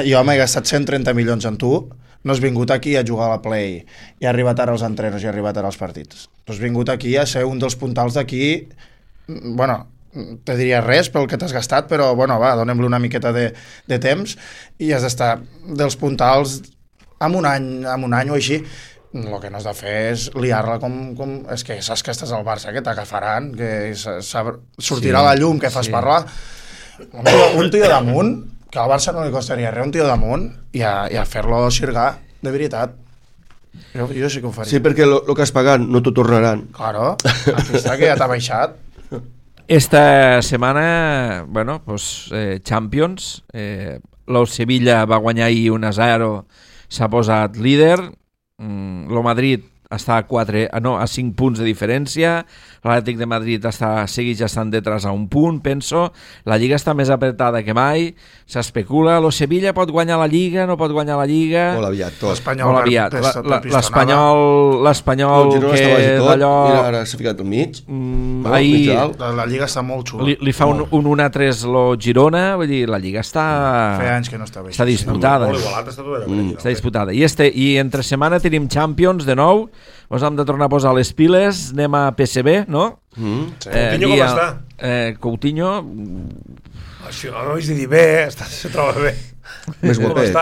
jo m'he gastat 130 milions en tu, no has vingut aquí a jugar a la Play i ha arribat ara als entrenos i ha arribat ara als partits. Tu has vingut aquí a ser un dels puntals d'aquí, bueno, te diria res pel que t'has gastat, però bueno, va, donem-li una miqueta de temps i has d'estar dels puntals en un any o així. El que no has de fer és liar-la com... És que saps que estàs al Barça, que t'agafaran, que sortirà la llum, que fas parlar. Un tio damunt, que al Barça no li costaria res, un tio damunt, i a fer-lo xirgar, de veritat. Jo sí que ho faria. Sí, perquè el que has pagat no t'ho tornaran. Claro, aquí està, que ja t'ha baixat. Esta setmana, Champions, el Sevilla va guanyar ahir 1-0, s'ha posat líder. El Madrid està a 5 punts de diferència, l'Atlètic de Madrid segueix estant detrás a 1 punt, penso. La Lliga està més apretada que mai, s'especula, el Sevilla pot guanyar la Lliga, no pot guanyar la Lliga... Molt aviat, tot. L'Espanyol que d'allò... Mira, ara s'ha ficat al mig. La Lliga està molt xula. Li fa un 1-3 lo Girona, vull dir, la Lliga està... Feia anys que no està bé. Està disputada. Està disputada. I entre setmana tenim Champions de nou, us hem de tornar a posar les piles, anem a PSV, no? Coutinho com està? Coutinho... Això no ho de dir bé, se troba bé. Més guapet.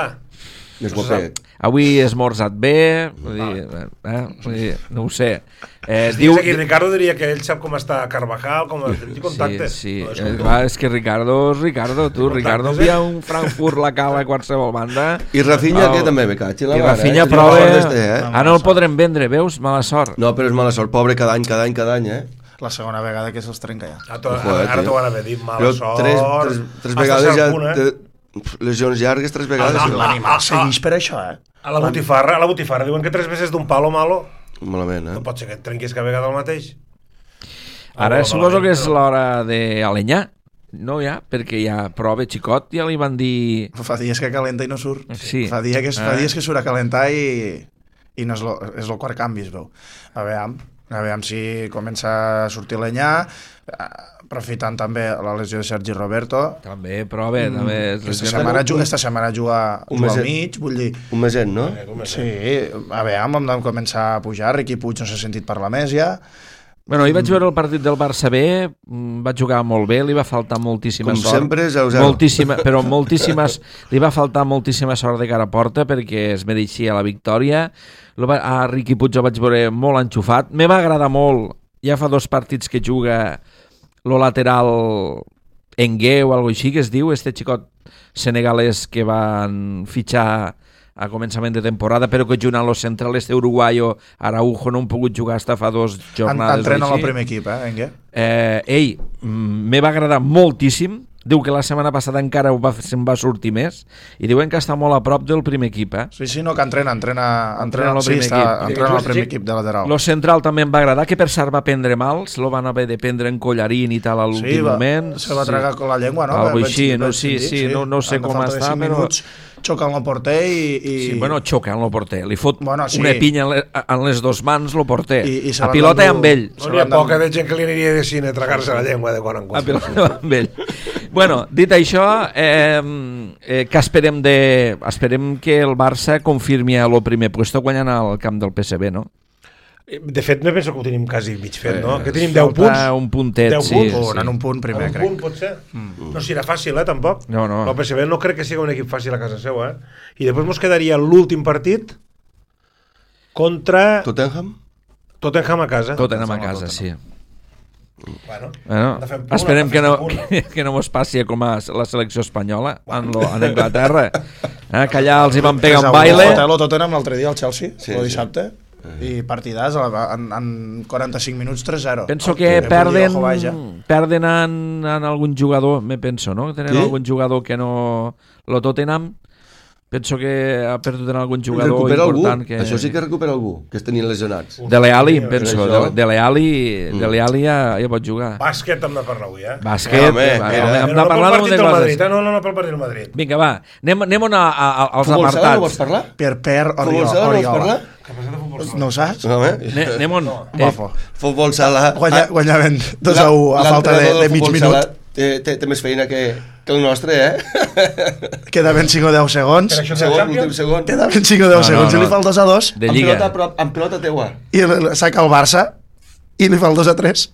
Més guapet. Avui és esmorzat bé, no ho sé. Diu aquí, Ricardo diria que ell sap com està Carvajal, com el contacte. Sí, és que Ricardo, Ricardo envia un Frankfurt la cala a qualsevol banda. I Rafinha, que també me caig. I Rafinha prova... no el podrem vendre, veus? Mala sort. No, però és mala sort, pobre, cada any, La segona vegada que se'ls trenca ja. Ara t'ho van haver dit, mala sort. Tres vegades ja... Lesions llargues 3 vegades. L'animal segueix per això, A la botifarra diuen que 3 veces d'un palo malo. Malament, No pot ser que et trenquis cada vegada el mateix. Ara suposo que és l'hora d'Alenyà, no ja? Perquè ja prova xicot, ja li van dir... Fa dies que calenta i no surt. Sí. Fa dies que surt a calentar i no és el quart canvi, es veu. A veure, Aviam si comença a sortir l'Enyà, aprofitant també la lesió de Sergi Roberto. També, però bé, també... Esta setmana juga al mig, vull dir... Un meset, no? Sí, aviam, hem de començar a pujar. Riqui Puig no s'ha sentit parlar més ja. Bueno, ahir vaig veure el partit del Barça B, va jugar molt bé, li va faltar moltíssima sort. Com sempre, 0-0. Però li va faltar moltíssima sort de cara a porta perquè es mereixia la victòria. A Riqui Puig el vaig veure molt enxufat. Me va agradar molt, ja fa 2 partits que juga lo lateral Engue o alguna cosa així que es diu, este xicot senegalès que van fitxar a començament de temporada, però que jugant los centrales d'Uruguayo, Araujo no han pogut jugar fins fa 2 jornades. Entrena al primer equip, Engue? Me va agradar moltíssim. Diu que la setmana passada encara se'n va sortir més i diuen que està molt a prop del primer equip. Sí, no, que entrena al primer equip de lateral. Lo central també em va agradar, que per cert va prendre mals, lo van haver de prendre en collarín i tal a l'últim moment. Se va tragar con la llengua, no? Algo així, no sé com està, però... Xoca en el porter i... Sí, bueno, xoca en el porter. Li fot una pinya en les 2 mans el porter. A pilota amb ell. No hi ha poca de gent que li aniria de cine a tragar-se la llengua de quan en quan. A pilota amb ell. Bueno, dit això, que esperem que el Barça confirmi el primer puesto guanyant al camp del PSV, no? De fet, no penso que ho tenim quasi mig fet, no? Que tenim 10 punts. Un puntet, sí. En un punt primer, crec. Un punt, pot ser. No serà fàcil, tampoc. No. El PSV no crec que sigui un equip fàcil a casa seu, I després ens quedaria l'últim partit contra... Tottenham a casa. Tottenham a casa, sí. Bueno, esperem que no mos passi com a la selecció espanyola en Anglaterra, que allà els hi van pegar un baile. El Tottenham l'altre dia al Chelsea, el dissabte, i partidàs en 45 minuts 3-0. Penso que perden en algun jugador, no? Tenen algun jugador que no... Lo Tottenham penso que ha perdut en algun jugador important. Això sí que recupera algú, que es tenien lesionats. Dele Alli, penso. Dele Alli ja pot jugar. Bàsquet hem de parlar avui, Bàsquet, hem de parlar d'un de coses. No pel partit del Madrid. Vinga, va, anem als apartats. No vols parlar? Per Oriola. No ho saps? Anem on? Futbol sala. Guanyaven 2-1 a falta de mig minut. Té més feina que el nostre, Quedaven 5 o 10 segons. Quedaven 5 o 10 segons i li fa el 2-2. Amb pilota teua. I saca el Barça i li fa el 2-3.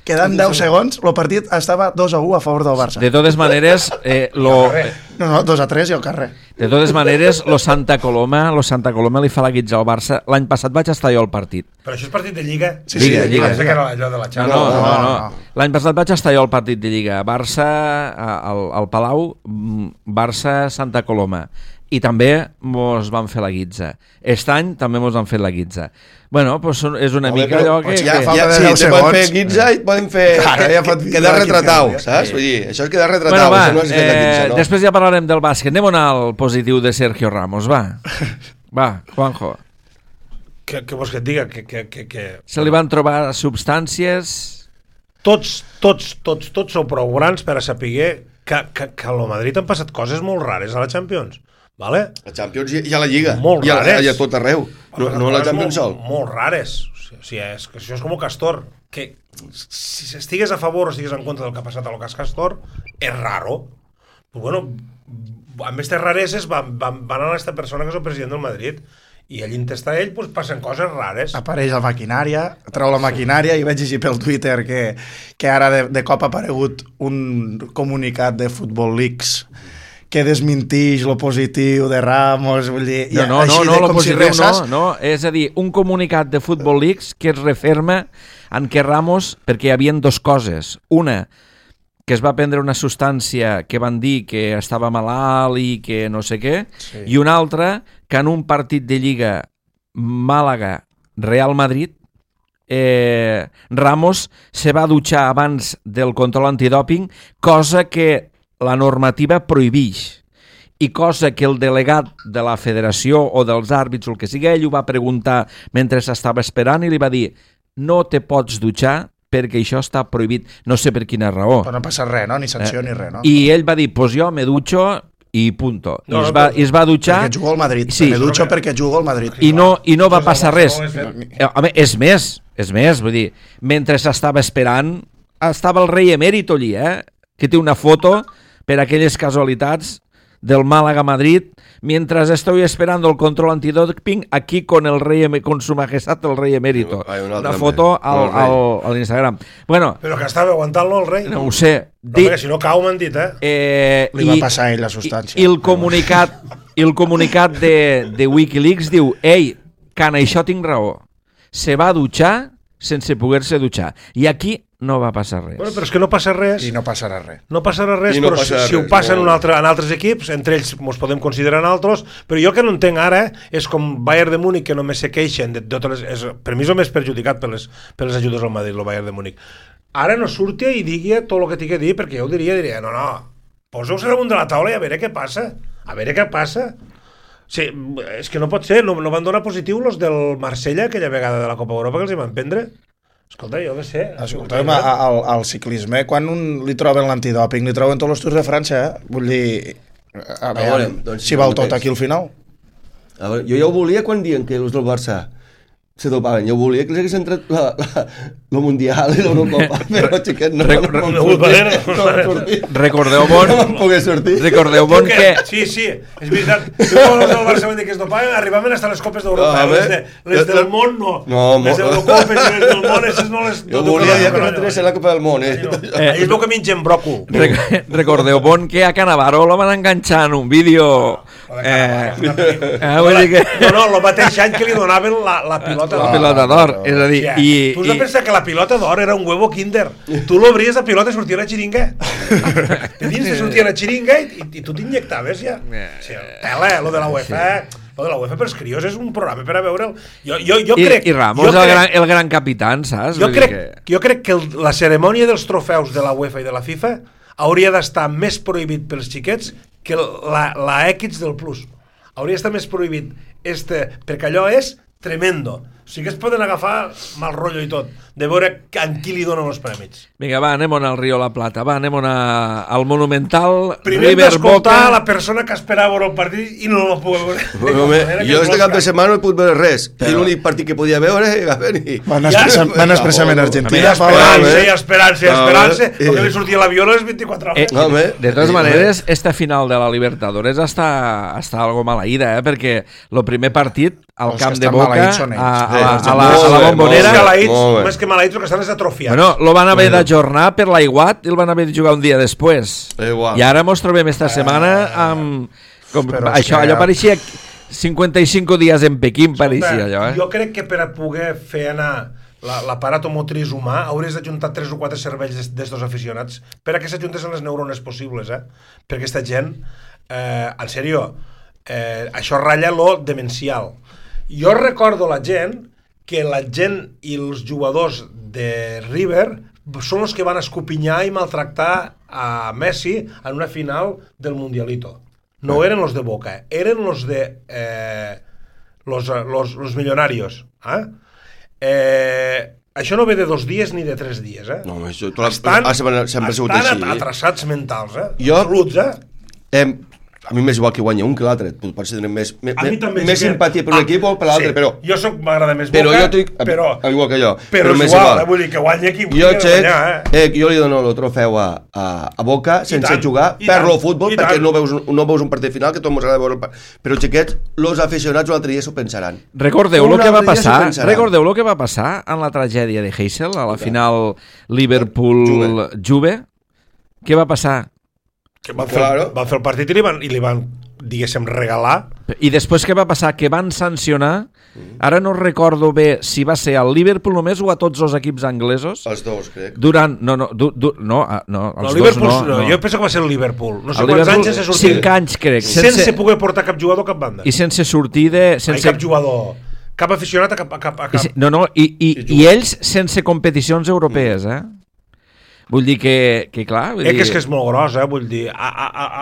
Quedant 10 segons, el partit estava 2-1 a favor del Barça. De totes maneres... No, 2-3 i al carrer. De totes maneres, lo Santa Coloma li fa la guitza al Barça. L'any passat vaig estar jo al partit. Però això és partit de Lliga? Sí, Lliga. Pensé que era allò de la Champions. No. L'any passat vaig estar jo al partit de Lliga. Barça, al Palau, Barça-Santa Coloma. I també mos van fer la guitza. Aquest any també mos han fet la guitza. Bueno, doncs és una mica allò que... Sí, te poden fer guitza i et poden fer... Quedar retratau, saps? Vull dir, això és quedar retratau. Després ja parlarem del bàsquet. Anem al positiu de Sergio Ramos, va. Va, Juanjo. Què vols que et diga? Se li van trobar substàncies... Tots sou prou grans per a saber que a lo Madrid han passat coses molt rares a la Champions. Vale? La Champions i a la Lliga. Molt rares. I a tot arreu. No a la Champions sol. Molt rares. O sigui, això és com Castor. Que si estigues a favor o estigues en contra del que ha passat a lo que és Castor, és raro. Però bueno, amb aquestes rareses van a aquesta persona que és el president del Madrid i allí està ell, doncs passen coses rares. Apareix la maquinària, treu la maquinària i vaig llegir pel Twitter que ara de cop ha aparegut un comunicat de Football Leaks que desmentix lo positiu de Ramos, vull dir... No, lo positiu no, és a dir, un comunicat de Football Leaks que es referma en què Ramos, perquè hi havia 2 coses. Una, que es va prendre una substància que van dir que estava malalt i que no sé què, i una altra, que en un partit de Lliga Màlaga-Real Madrid, Ramos se va dutxar abans del control antidòping, cosa que la normativa prohibeix, i cosa que el delegat de la federació o dels àrbits o el que sigui, ell ho va preguntar mentre s'estava esperant i li va dir no te pots dutxar perquè això està prohibit, no sé per quina raó. Però no passa res, no? Ni sanció ni res, no? I ell va dir, pues jo me dutxo i punto. I es va dutxar... Perquè jugo al Madrid. Sí, me dutxo perquè jugo al Madrid. I no va passar res. És És més, vull dir, mentre s'estava esperant, estava el rei emèrit allí, que té una foto per aquelles casualitats del Málaga-Madrid, mientras estoy esperando el control antidoping aquí con el rey, con su majestad el rei emérito. Una foto al Instagram. Bueno, però que estava aguantant-lo el rei. No ho sé. Que si no cau m'han dit, Li va passar a ell la substància. I el comunicat de Wikileaks diu: ei, que en això tinc raó. Se va dutxar sense poder-se dutxar. I aquí no va passar res. Bueno, però és que no passa res. I no passarà res. No passarà res, no però passarà si ho passen en altres equips, entre ells ens podem considerar en altres, però jo el que no entenc ara és com Bayern de Múnich, que només se queixen de totes les... Per mi és el més perjudicat per les ajudes al Madrid, el Bayern de Múnich. Ara no surti i digui tot el que tingui a dir, perquè jo ho diria, no, poseu-se damunt de la taula i a veure què passa. A veure què passa. Sí, és que no pot ser, no van donar positiu els del Marsella aquella vegada de la Copa Europa que els hi van prendre. Escolta, jo què sé. Escolta'm, al ciclisme, quan li troben l'antidòping, li troben tots els Tours de França, Vull dir, a veure, doncs, si val tot aquí al final. A veure, jo ja ho volia quan diuen que els del Barça se dopaven. Jo volia que els hagués entrat la Mundial i l'Eurocopa, però xiquet no recordeu bon no van poder sortir. Recordeu bon que... Sí, és veritat. Quan els del Barça van dir que es dopaven, arribaven fins a les Copes d'Europa. Les del món no. Les Eurocopes i les del món, aquestes no les... Jo volia ja que no entrés a la Copa del Món. Ells veu que mengen bròcol. Recordeu bon que a Cannavaro lo van enganxar en un vídeo... No, el mateix any que li donaven la pilota d'or. És a dir... Tu has de pensar que la pilota d'or era un huevo kinder. Tu l'obries, la pilota sortia a la xiringa. De dins te sortia la xiringa i tu t'inyectaves ja. Tela, lo de la UEFA. Lo de la UEFA per els crios és un programa per a veure'l. Jo crec... I Ramos, el gran capitán, saps? Jo crec que la cerimònia dels trofeus de la UEFA i de la FIFA hauria d'estar més prohibit pels xiquets que la X del Plus. Hauria d'estar més prohibit perquè allò és tremendo. O sigui que es poden agafar mal rotllo i tot, de veure a qui li donen els prèmits. Vinga, va, anem a Río La Plata, va, anem al Monumental. Primer d'escoltar la persona que esperava veure el partit i no el podia veure. Jo este cap de setmana no he pogut veure res. I l'únic partit que podia veure van expressament a Argentina. Esperança, perquè li sortia l'avió a les 24 hores. De totes maneres, esta final de la Libertadores està algo maleïda, perquè el primer partit al camp de Boca a la Bombonera més que maleïts que estan és atrofiats. Bueno, lo van haver d'ajornar per l'aiguat i el van haver de jugar un dia després i ara mos trobem esta setmana amb allò pareixia 55 dies en Pequín, pareixia allò. Jo crec que per a poder fer anar l'aparat motriç humà hauries d'ajuntar 3 o 4 cervells d'estos aficionats per a que s'ajuntessen les neurones possibles, perquè aquesta gent en sèrio això ratlla lo demencial. Jo recordo la gent i els jugadors de River són els que van escopinyar i maltractar a Messi en una final del Mundialito. No eren los de Boca, eren los de los millonarios. Això no ve de 2 dies ni de 3 dies. No, això estan atrasats mentals, absoluts. A mi m'és igual que guanya un que l'altre, potser tenen més simpatia per un equip o per l'altre, però... Jo m'agrada més Boca, igual que jo. Però és igual, vull dir que guanya qui jo li dono el trofeu a Boca sense jugar, per-lo futbol, perquè no veus un partit final, que tot mos agrada veure el partit. Però xiquets, els aficionats l'altre dia s'ho pensaran. Recordeu el que va passar en la tragèdia de Heysel, a la final Liverpool-Juve? Què va passar? Que van fer el partit i li van diguéssim, regalar. I després què va passar? Que van sancionar, ara no recordo bé si va ser al Liverpool només o a tots els equips anglesos. Els dos, crec. Durant, els dos no. Jo penso que va ser el Liverpool. No sé quants anys sense sortir. 5 anys, crec. Sense poder portar cap jugador a cap banda. I sense sortir de... Cap jugador, cap aficionat a cap... I ells sense competicions europees, Vull dir que clar... És que és molt gros, vull dir.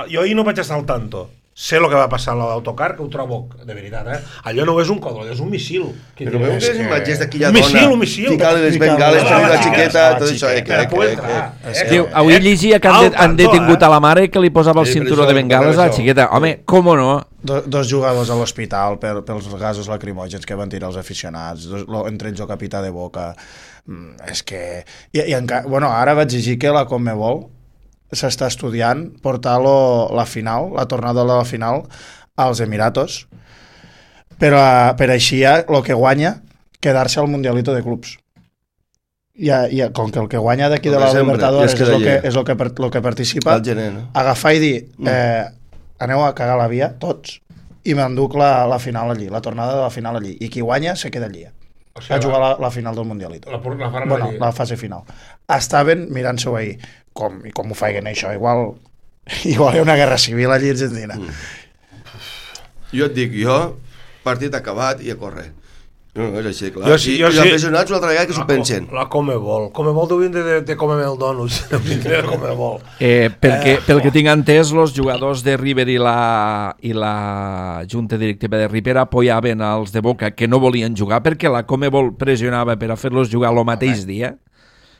Jo ahir no vaig estar al tanto. sé el que va passar a l'autocar, que ho trobo de veritat, allò no és un codol, és un missil. Però veu les imatges d'aquella un dona missil. ficant les bengales per la xiqueta, tot això. Diu, avui llegia que han detingut a la mare que li posava el cinturó de bengales a la xiqueta. Home, com no? Dos jugadors a l'hospital pels gasos lacrimògens que van tirar els aficionats, entre ells el capità de Boca. És que... Bueno, ara vaig llegir que la Conmebol s'està estudiant portar la final, la tornada de la final als Emiratos per així ja el que guanya quedar-se al Mundialito de Clubs. Com que el que guanya d'aquí de la Libertadores és el que participa, agafar i dir aneu a cagar la via tots i m'enduc la final allí, la tornada de la final allí, i qui guanya se queda allí a jugar la final del Mundialito, la fase final. Estaven mirant-s'ho ahir com ho feien això, igual hi ha una guerra civil allí a Argentina. Jo et dic, partit acabat i a córrer. No, és així, clar. I els aficionats una altra vegada que s'ho pensen. La Conmebol deurien de comer el donuts. Pel que tinc entès, els jugadors de River i la junta directiva de River apoyaven als de Boca que no volien jugar perquè la Conmebol pressionava per a fer-los jugar el mateix dia.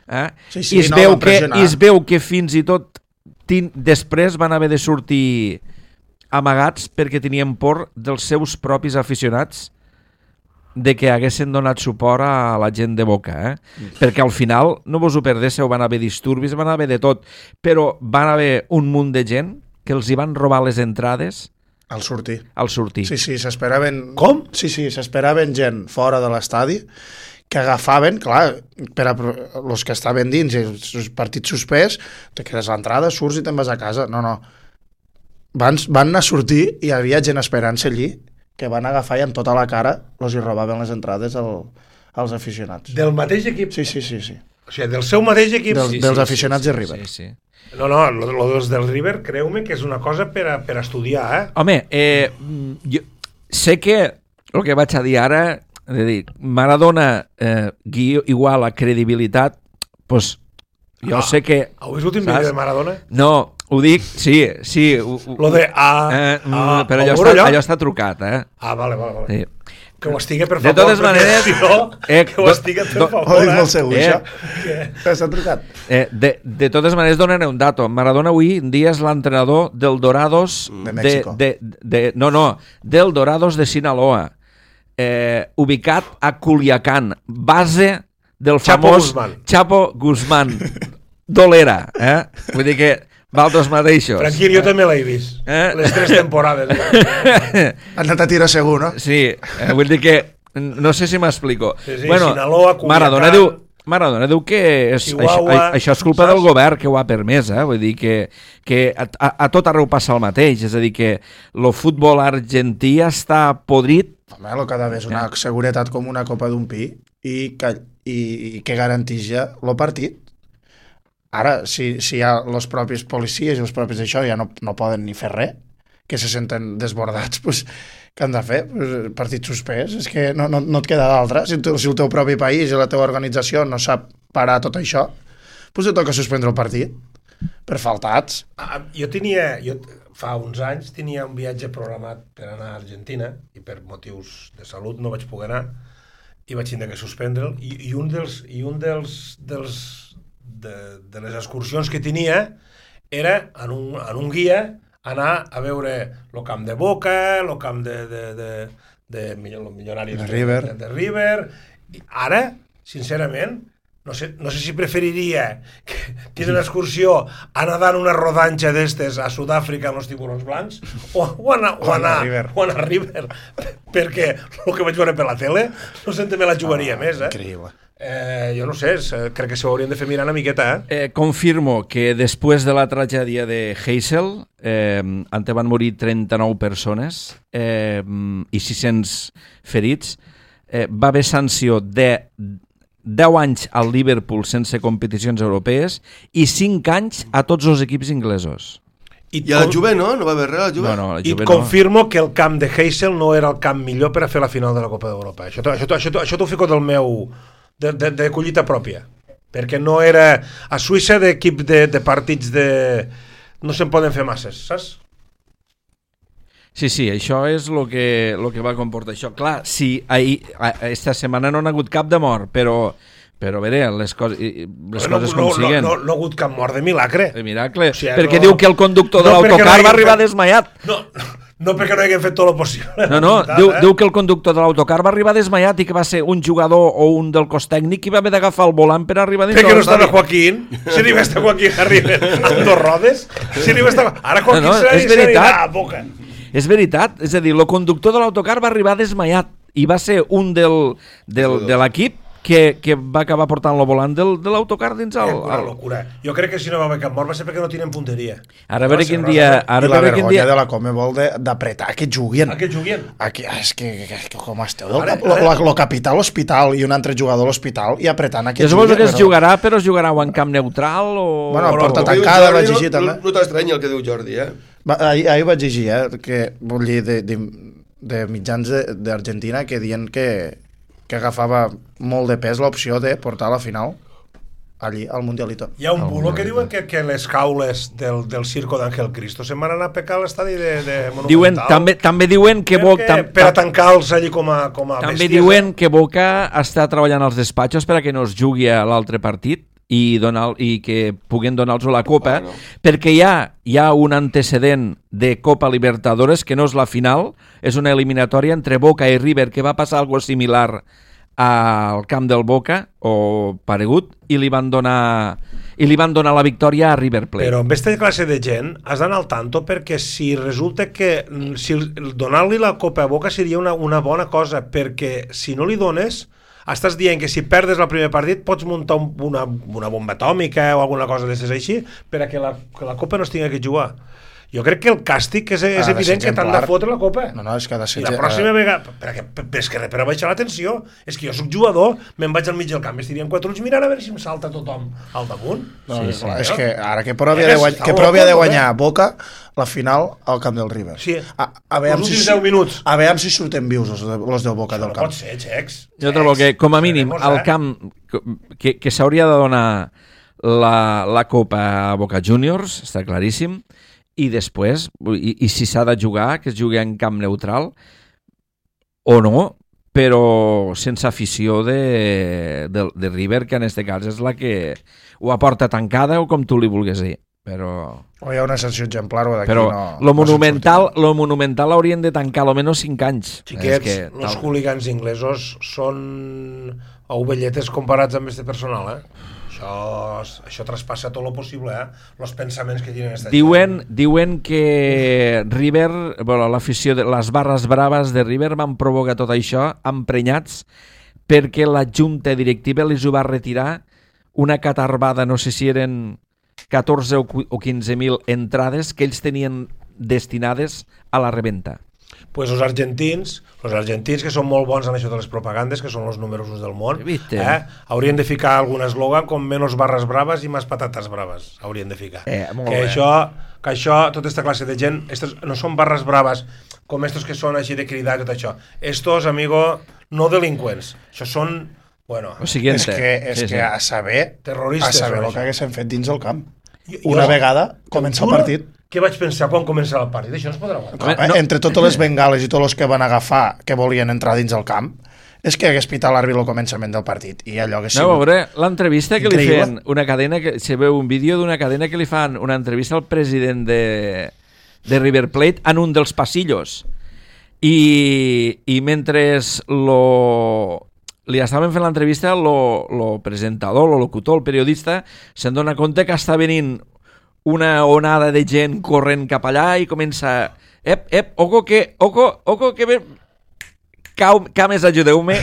I es veu que fins i tot després van haver de sortir amagats perquè tenien por dels seus propis aficionats de que haguessin donat suport a la gent de Boca, perquè al final, no vos ho perdéssiu, van haver disturbis, van haver de tot, però van haver un munt de gent que els hi van robar les entrades al sortir. Sí, s'esperaven... Com? Sí, s'esperaven gent fora de l'estadi que agafaven, clar, per a els que estaven dins i els partits suspès, te quedes a l'entrada, surts i te'n vas a casa. No. Van anar a sortir i hi havia gent esperant-se allí que van agafar i amb tota la cara els hi robaven les entrades als aficionats. Del mateix equip? Sí. O sigui, del seu mateix equip? Dels aficionats de River. Sí. No, els del River, creu-me que és una cosa per a estudiar, Home, jo sé que el que vaig a dir ara, és a dir, Maradona igual a credibilitat, doncs jo sé que... Heu vist l'últim vídeo de Maradona? No, ho dic, sí. Lo de però allò està trucat, Vale. Sí. Que ho estigui, per favor. De totes maneres... Que ho estigui, per favor. Ho dic molt segur, això. Està trucat. De totes maneres, donaré un dato. Maradona avui en dia és l'entrenador del Dorados... De México. Del Dorados de Sinaloa. Ubicat a Culiacán. Base del famós Chapo Guzmán. Dolera, Vull dir que... Valdos mateixos. Tranquil, jo també l'he vist. Les 3 temporades. Han anat a tirar segur, no? Sí, vull dir que... No sé si m'explico. Sí, bueno, Sinaloa, Culiacán... Maradona diu que això és culpa del govern que ho ha permès, Vull dir que a tot arreu passa el mateix. És a dir, que el futbol argentí està podrit. Home, el que ha d'haver és una seguretat com una copa d'un pi i que garanteix el partit. Ara, si hi ha els propis policies i els propis d'això ja no poden ni fer res, que se senten desbordats, doncs, què han de fer? Partit suspès? És que no et queda d'altre. Si el teu propi país i la teva organització no sap parar tot això, doncs et toca suspendre el partit per faltats. Jo fa uns anys tenia un viatge programat per anar a Argentina i per motius de salut no vaig poder anar i vaig tindre que suspendre'l i un de les excursions que tenia era en un guia anar a veure el camp de Boca, el camp de Millonaris de River. I ara, sincerament, no sé si preferiria tenir una excursió a nedar en una rodanxa d'estes a Sud-àfrica amb els tiburons blancs o anar a River, perquè el que vaig veure per la tele no sé, també la jugaria més. Increïble. Jo no sé, crec que s'ho haurien de fer mirar una miqueta. Confirmo que després de la tragèdia de Heysel, on van morir 39 persones i 600 ferits, va haver sanció de 10 anys al Liverpool sense competicions europees i 5 anys a tots els equips inglesos. I a la Juve no? No va haver res a la Juve? No, I et confirmo que el camp de Heysel no era el camp millor per a fer la final de la Copa d'Europa. Això t'ho fico del meu... de collita pròpia, perquè no era a Suïssa d'equip de partits de... no se'n poden fer masses, saps? Sí, això és el que va comportar això. Clar, sí, esta setmana no ha hagut cap de mort, però a veure, les coses com siguen. No ha hagut cap mort de milagre. De miracle, O sigui, perquè diu que el conductor de l'autocar va arribar desmaiat. No perquè no haguem fet tot el possible. No, diu que el conductor de l'autocar va arribar desmaiat i que va ser un jugador o un del cos tècnic qui va haver d'agafar el volant per arribar dins. Perquè no estava Joaquín. Si li va estar Joaquín arriben amb dos rodes, si li va estar... Ara Joaquín s'anirà a boca. És veritat, és a dir, el conductor de l'autocar va arribar desmaiat i va ser un de l'equip que va acabar portant el volant de l'autocar dins el... Una locura. Jo crec que si no va haver cap mort va ser perquè no tenen punteria. Ara a veure quin dia... I la vergonya de la Comebol d'apretar que juguin. Que juguin. Aquí, és que com esteu el capità a l'hospital i un altre jugador a l'hospital i apretant que juguin. Jo suposo que es jugarà, però es jugarà o en camp neutral o... Bueno, porta tancada, vaig llegir també. No t'estranya el que diu Jordi, Ahir vaig llegir, que vull dir, de mitjans d'Argentina que diuen que agafava molt de pes l'opció de portar a la final allí, al Mundialito. Hi ha un bulo que diuen que les caules del circo d'Àngel Cristo se'n van anar a pecar a l'estadi de Monumental. També diuen que per a tancar-los allí com a també bèsties. Diuen que Boca està treballant als despatxos per a que no es jugui a l'altre partit i que puguen donar-los la Copa, perquè hi ha un antecedent de Copa Libertadores que no és la final, és una eliminatòria entre Boca i River que va passar algo similar al camp del Boca o paregut i li van donar la victòria a River Plate. Però amb aquesta classe de gent has d'anar al tanto, perquè si resulta que donar-li la Copa a Boca seria una bona cosa, perquè si no li dones estàs dient que si perdes el primer partit pots muntar una bomba atòmica o alguna cosa d'això així per a que la Copa no es tingui que jugar. Jo crec que el càstig és evident que t'han de fotre la Copa. No, és que ha de ser... I la pròxima vegada... És que per a baixar la tensió. És que jo soc jugador, me'n vaig al mig del camp, estirien 4 ulls mirant a veure si em salta tothom al damunt. No, sí. És que ara que provi de guanyar Boca la final al camp del River. Sí, els últims 10 minuts. A veure si surten vius els del Boca del camp. No pot ser, Xecs. Jo trobo que, com a mínim, al camp que s'hauria de donar la Copa a Boca Juniors, està claríssim, i després, i si s'ha de jugar, que es jugui en camp neutral o no, però sense afició de River, que en aquest cas és la que ho aporta tancada o com tu li vulguis dir. Però hi ha una sanció exemplar o d'aquí però no... Lo Monumental haurien de tancar almenys 5 anys. Xiquets, els hooligans inglesos són ovelletes comparats amb este personal, Això traspassa tot lo possible, los pensaments que tenen esta gent. Diuen que River, l'afició de les barres braves de River van provocar tot això emprenyats perquè la junta directiva els ho va retirar una catarbada, no sé si eren 14 o 15.000 entrades que ells tenien destinades a la reventa. Pues els argentins que són molt bons en això de les propagandes, que són els números 1 del món, haurien de ficar algun eslògan com menos barres braves i més patates braves, haurien de ficar. Que això, tota aquesta classe de gent, no són barres braves com estos que són així de cridar i tot això. Estos, amigo, no delinqüents. Això són, bueno... És que a saber terroristes, el que haguessin fet dins el camp. Una vegada comença el partit. Què vaig pensar quan començava el partit? Això no es podrà aguantar. Entre totes les bengales i tots els que van agafar que volien entrar dins el camp, és que hagués pitat l'àrbit al començament del partit i allò que sigut... No, veure, l'entrevista que li feien una cadena, se veu un vídeo d'una cadena que li fan una entrevista al president de River Plate en un dels passillos i mentre li estaven fent l'entrevista lo presentador, lo locutor, el periodista se'n dona compte que està venint una onada de gent corrent cap allà i comença oco que cames, ajudeu-me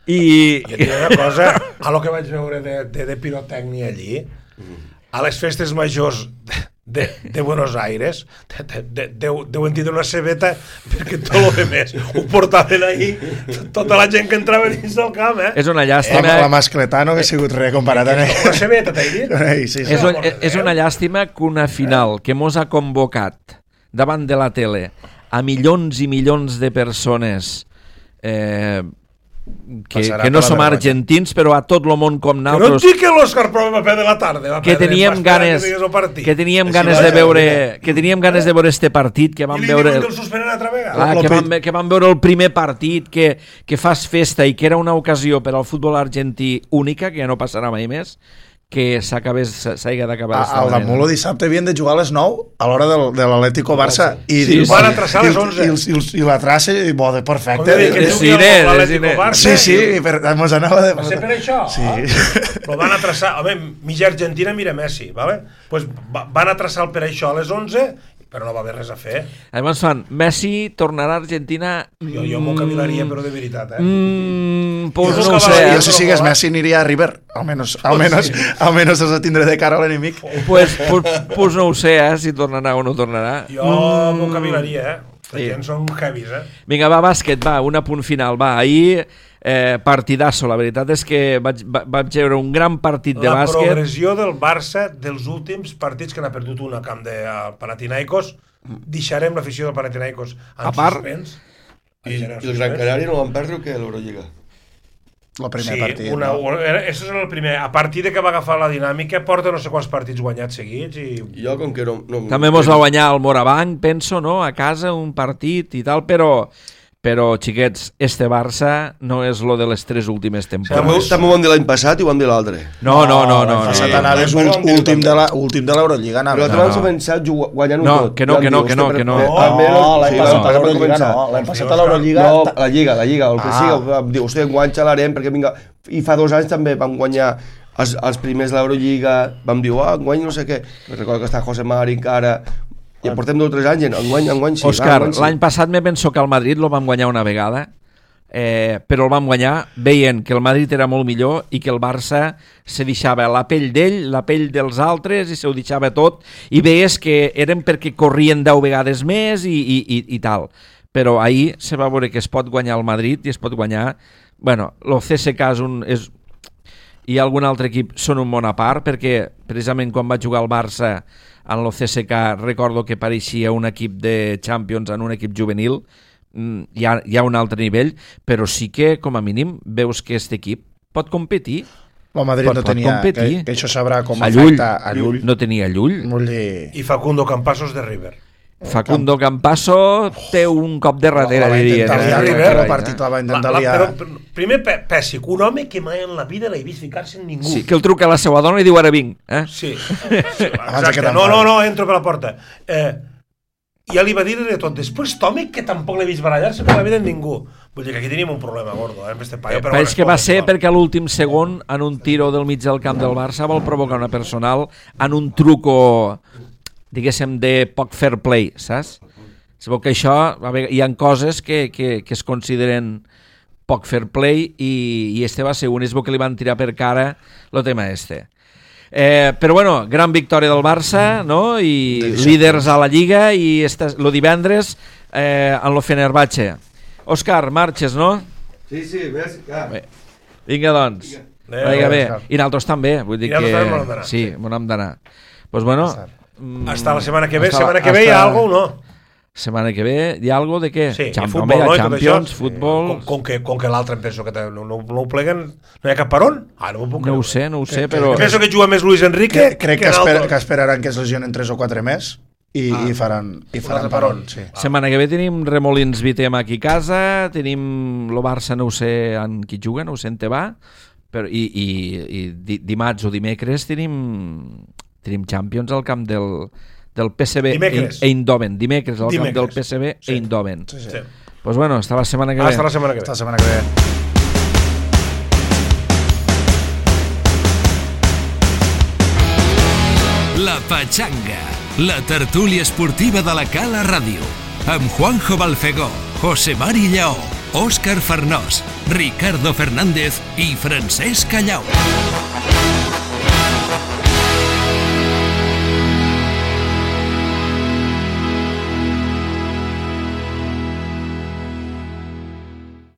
i... Jo tinc una cosa, a lo que vaig veure de pirotècnia allí, a les festes majors de Buenos Aires deuen tindre una cebeta perquè tot el que més ho portaven ahí tota la gent que entrava dins del camp, És una llàstima... La mascletà no hauria sigut res comparat amb ell. Una cebeta, t'he dit? Sí. És una llàstima que una final que mos ha convocat davant de la tele a milions i milions de persones que no som argentins, però a tot el món com Que no et nosaltres, dic que l'Òscar Prova va perdre la tarda. que teníem ganes de veure este partit, que vam I li veure diuen que el suspenen altra vegada. que vam veure el primer partit, que fas festa i que era una ocasió per al futbol argentí única, que ja no passarà mai més, que s'hagi d'acabar. Al damunt el dissabte havien de jugar a les 9 a l'hora de l'Atlético Barça i van a traçar a les 11. i la traça i bo, de perfecte. Sí, mos anava de... Va ser per això? Sí. Però van a traçar, home, mitja Argentina mira Messi, ¿vale? Pues van a traçar per això a les 11, però no va haver res a fer. Llavors fan, Messi tornarà a Argentina... Jo m'ho cavilaria, però de veritat, pues Jo no ho sé. Jo si sigues Messi aniria a River, almenys has de tindre de cara a l'enemic. Pues no ho sé, si tornarà o no tornarà. Jo m'ho cavilaria, La gent són heavies, Vinga, va, bàsquet, va, un apunt final, va. Ahir, partidasso, la veritat és que vaig veure un gran partit de bàsquet. La progressió del Barça dels últims partits, que n'ha perdut un a camp de Panathinaikos, deixarem l'afició del Panathinaikos en suspens. I el Gran Canari no van perdre que l'Eurolliga. El primer partit. Això és el primer. A partir de que va agafar la dinàmica, porta no sé quants partits guanyats seguits. I jo, com que no... També mos va guanyar el Morabanc, penso, no? A casa, un partit i tal, però xiquets, este Barça no és lo de les 3 últimes temporades. També ho vam dir l'any passat i ho vam dir l'altre. No. L'any passat anaves últim de l'Eurolliga. Però tu vas començar guanyant-ho tot. Que no. L'any passat a l'Eurolliga no. L'any passat a l'Eurolliga... No, la Lliga, el que sigui. Vam dir, hòstia, enguany xalarem, perquè vinga... I fa 2 anys també vam guanyar els primers de l'Eurolliga, vam dir, enguany no sé què. Recordo que està José Mari encara... I portem 2 o 3 anys, enguany sí. Òscar, l'any passat me penso que el Madrid lo vam guanyar una vegada, però el vam guanyar veient que el Madrid era molt millor i que el Barça se deixava la pell d'ell, la pell dels altres, i se ho deixava tot, i veies que eren perquè corrien 10 vegades més i tal. Però ahir se va veure que es pot guanyar el Madrid i es pot guanyar... Bueno, el CSKA i algun altre equip són un món a part, perquè precisament quan va jugar el Barça en el CSKA recordo que pareixia un equip de Champions en un equip juvenil. Hi ha un altre nivell, però sí que com a mínim veus que aquest equip pot competir. El Madrid no tenia, que això sabrà com afecta a Llull. No tenia Llull. I Facundo Campazos de River. Facundo Campasso té un cop de darrere, diria. El partit la va intentar liar. Però primer Pèssic, un home que mai en la vida l'he vist ficar-se en ningú. Sí, que el truca a la seva dona i diu ara vinc. Sí, exacte. No, entro per la porta. Ja li va dir de tot. Després Tomic, que tampoc l'he vist barallar-se per la vida en ningú. Vull dir que aquí tenim un problema gordo, amb este paio. Però és que va ser perquè a l'últim segon, en un tiro del mig del camp del Barça, vol provocar una personal en un truco... diguéssim, de poc fair play, saps? Sabeu que això, hi ha coses que es consideren poc fair play i este va ser un, és bo que li van tirar per cara el tema este. Però bueno, gran victòria del Barça, no? I líders a la Lliga i el divendres en lo Fenerbahce. Òscar, marxes, no? Sí, ves, ja. Vinga, doncs. Vinga, bé. I nosaltres també, vull dir que... Sí, m'ho hem d'anar. Doncs bueno... Hasta la setmana que ve. Setmana que ve hi ha alguna o no? Setmana que ve hi ha alguna de què? Sí, futbol, no? Champions, futbol... Com que l'altre em penso que no ho pleguen, no hi ha cap per on? No ho sé, però... Penso que juga més Luis Enrique... Crec que esperaran que es lesionen 3 o 4 més i faran per on. Setmana que ve tenim Remolins Vitem aquí a casa, tenim el Barça, no ho sé en qui juga, no ho sé en te va, i dimarts o dimecres tenim Champions al camp del PSV Eindhoven. Dimecres al camp del PSV Eindhoven. Pues bueno, hasta la setmana que ve. Hasta la setmana que ve. La Pachanga, la tertúlia esportiva de la Cala Ràdio, amb Juanjo Balfegó, José Mari Lleó, Òscar Farnós, Ricardo Fernández i Francesc Callau.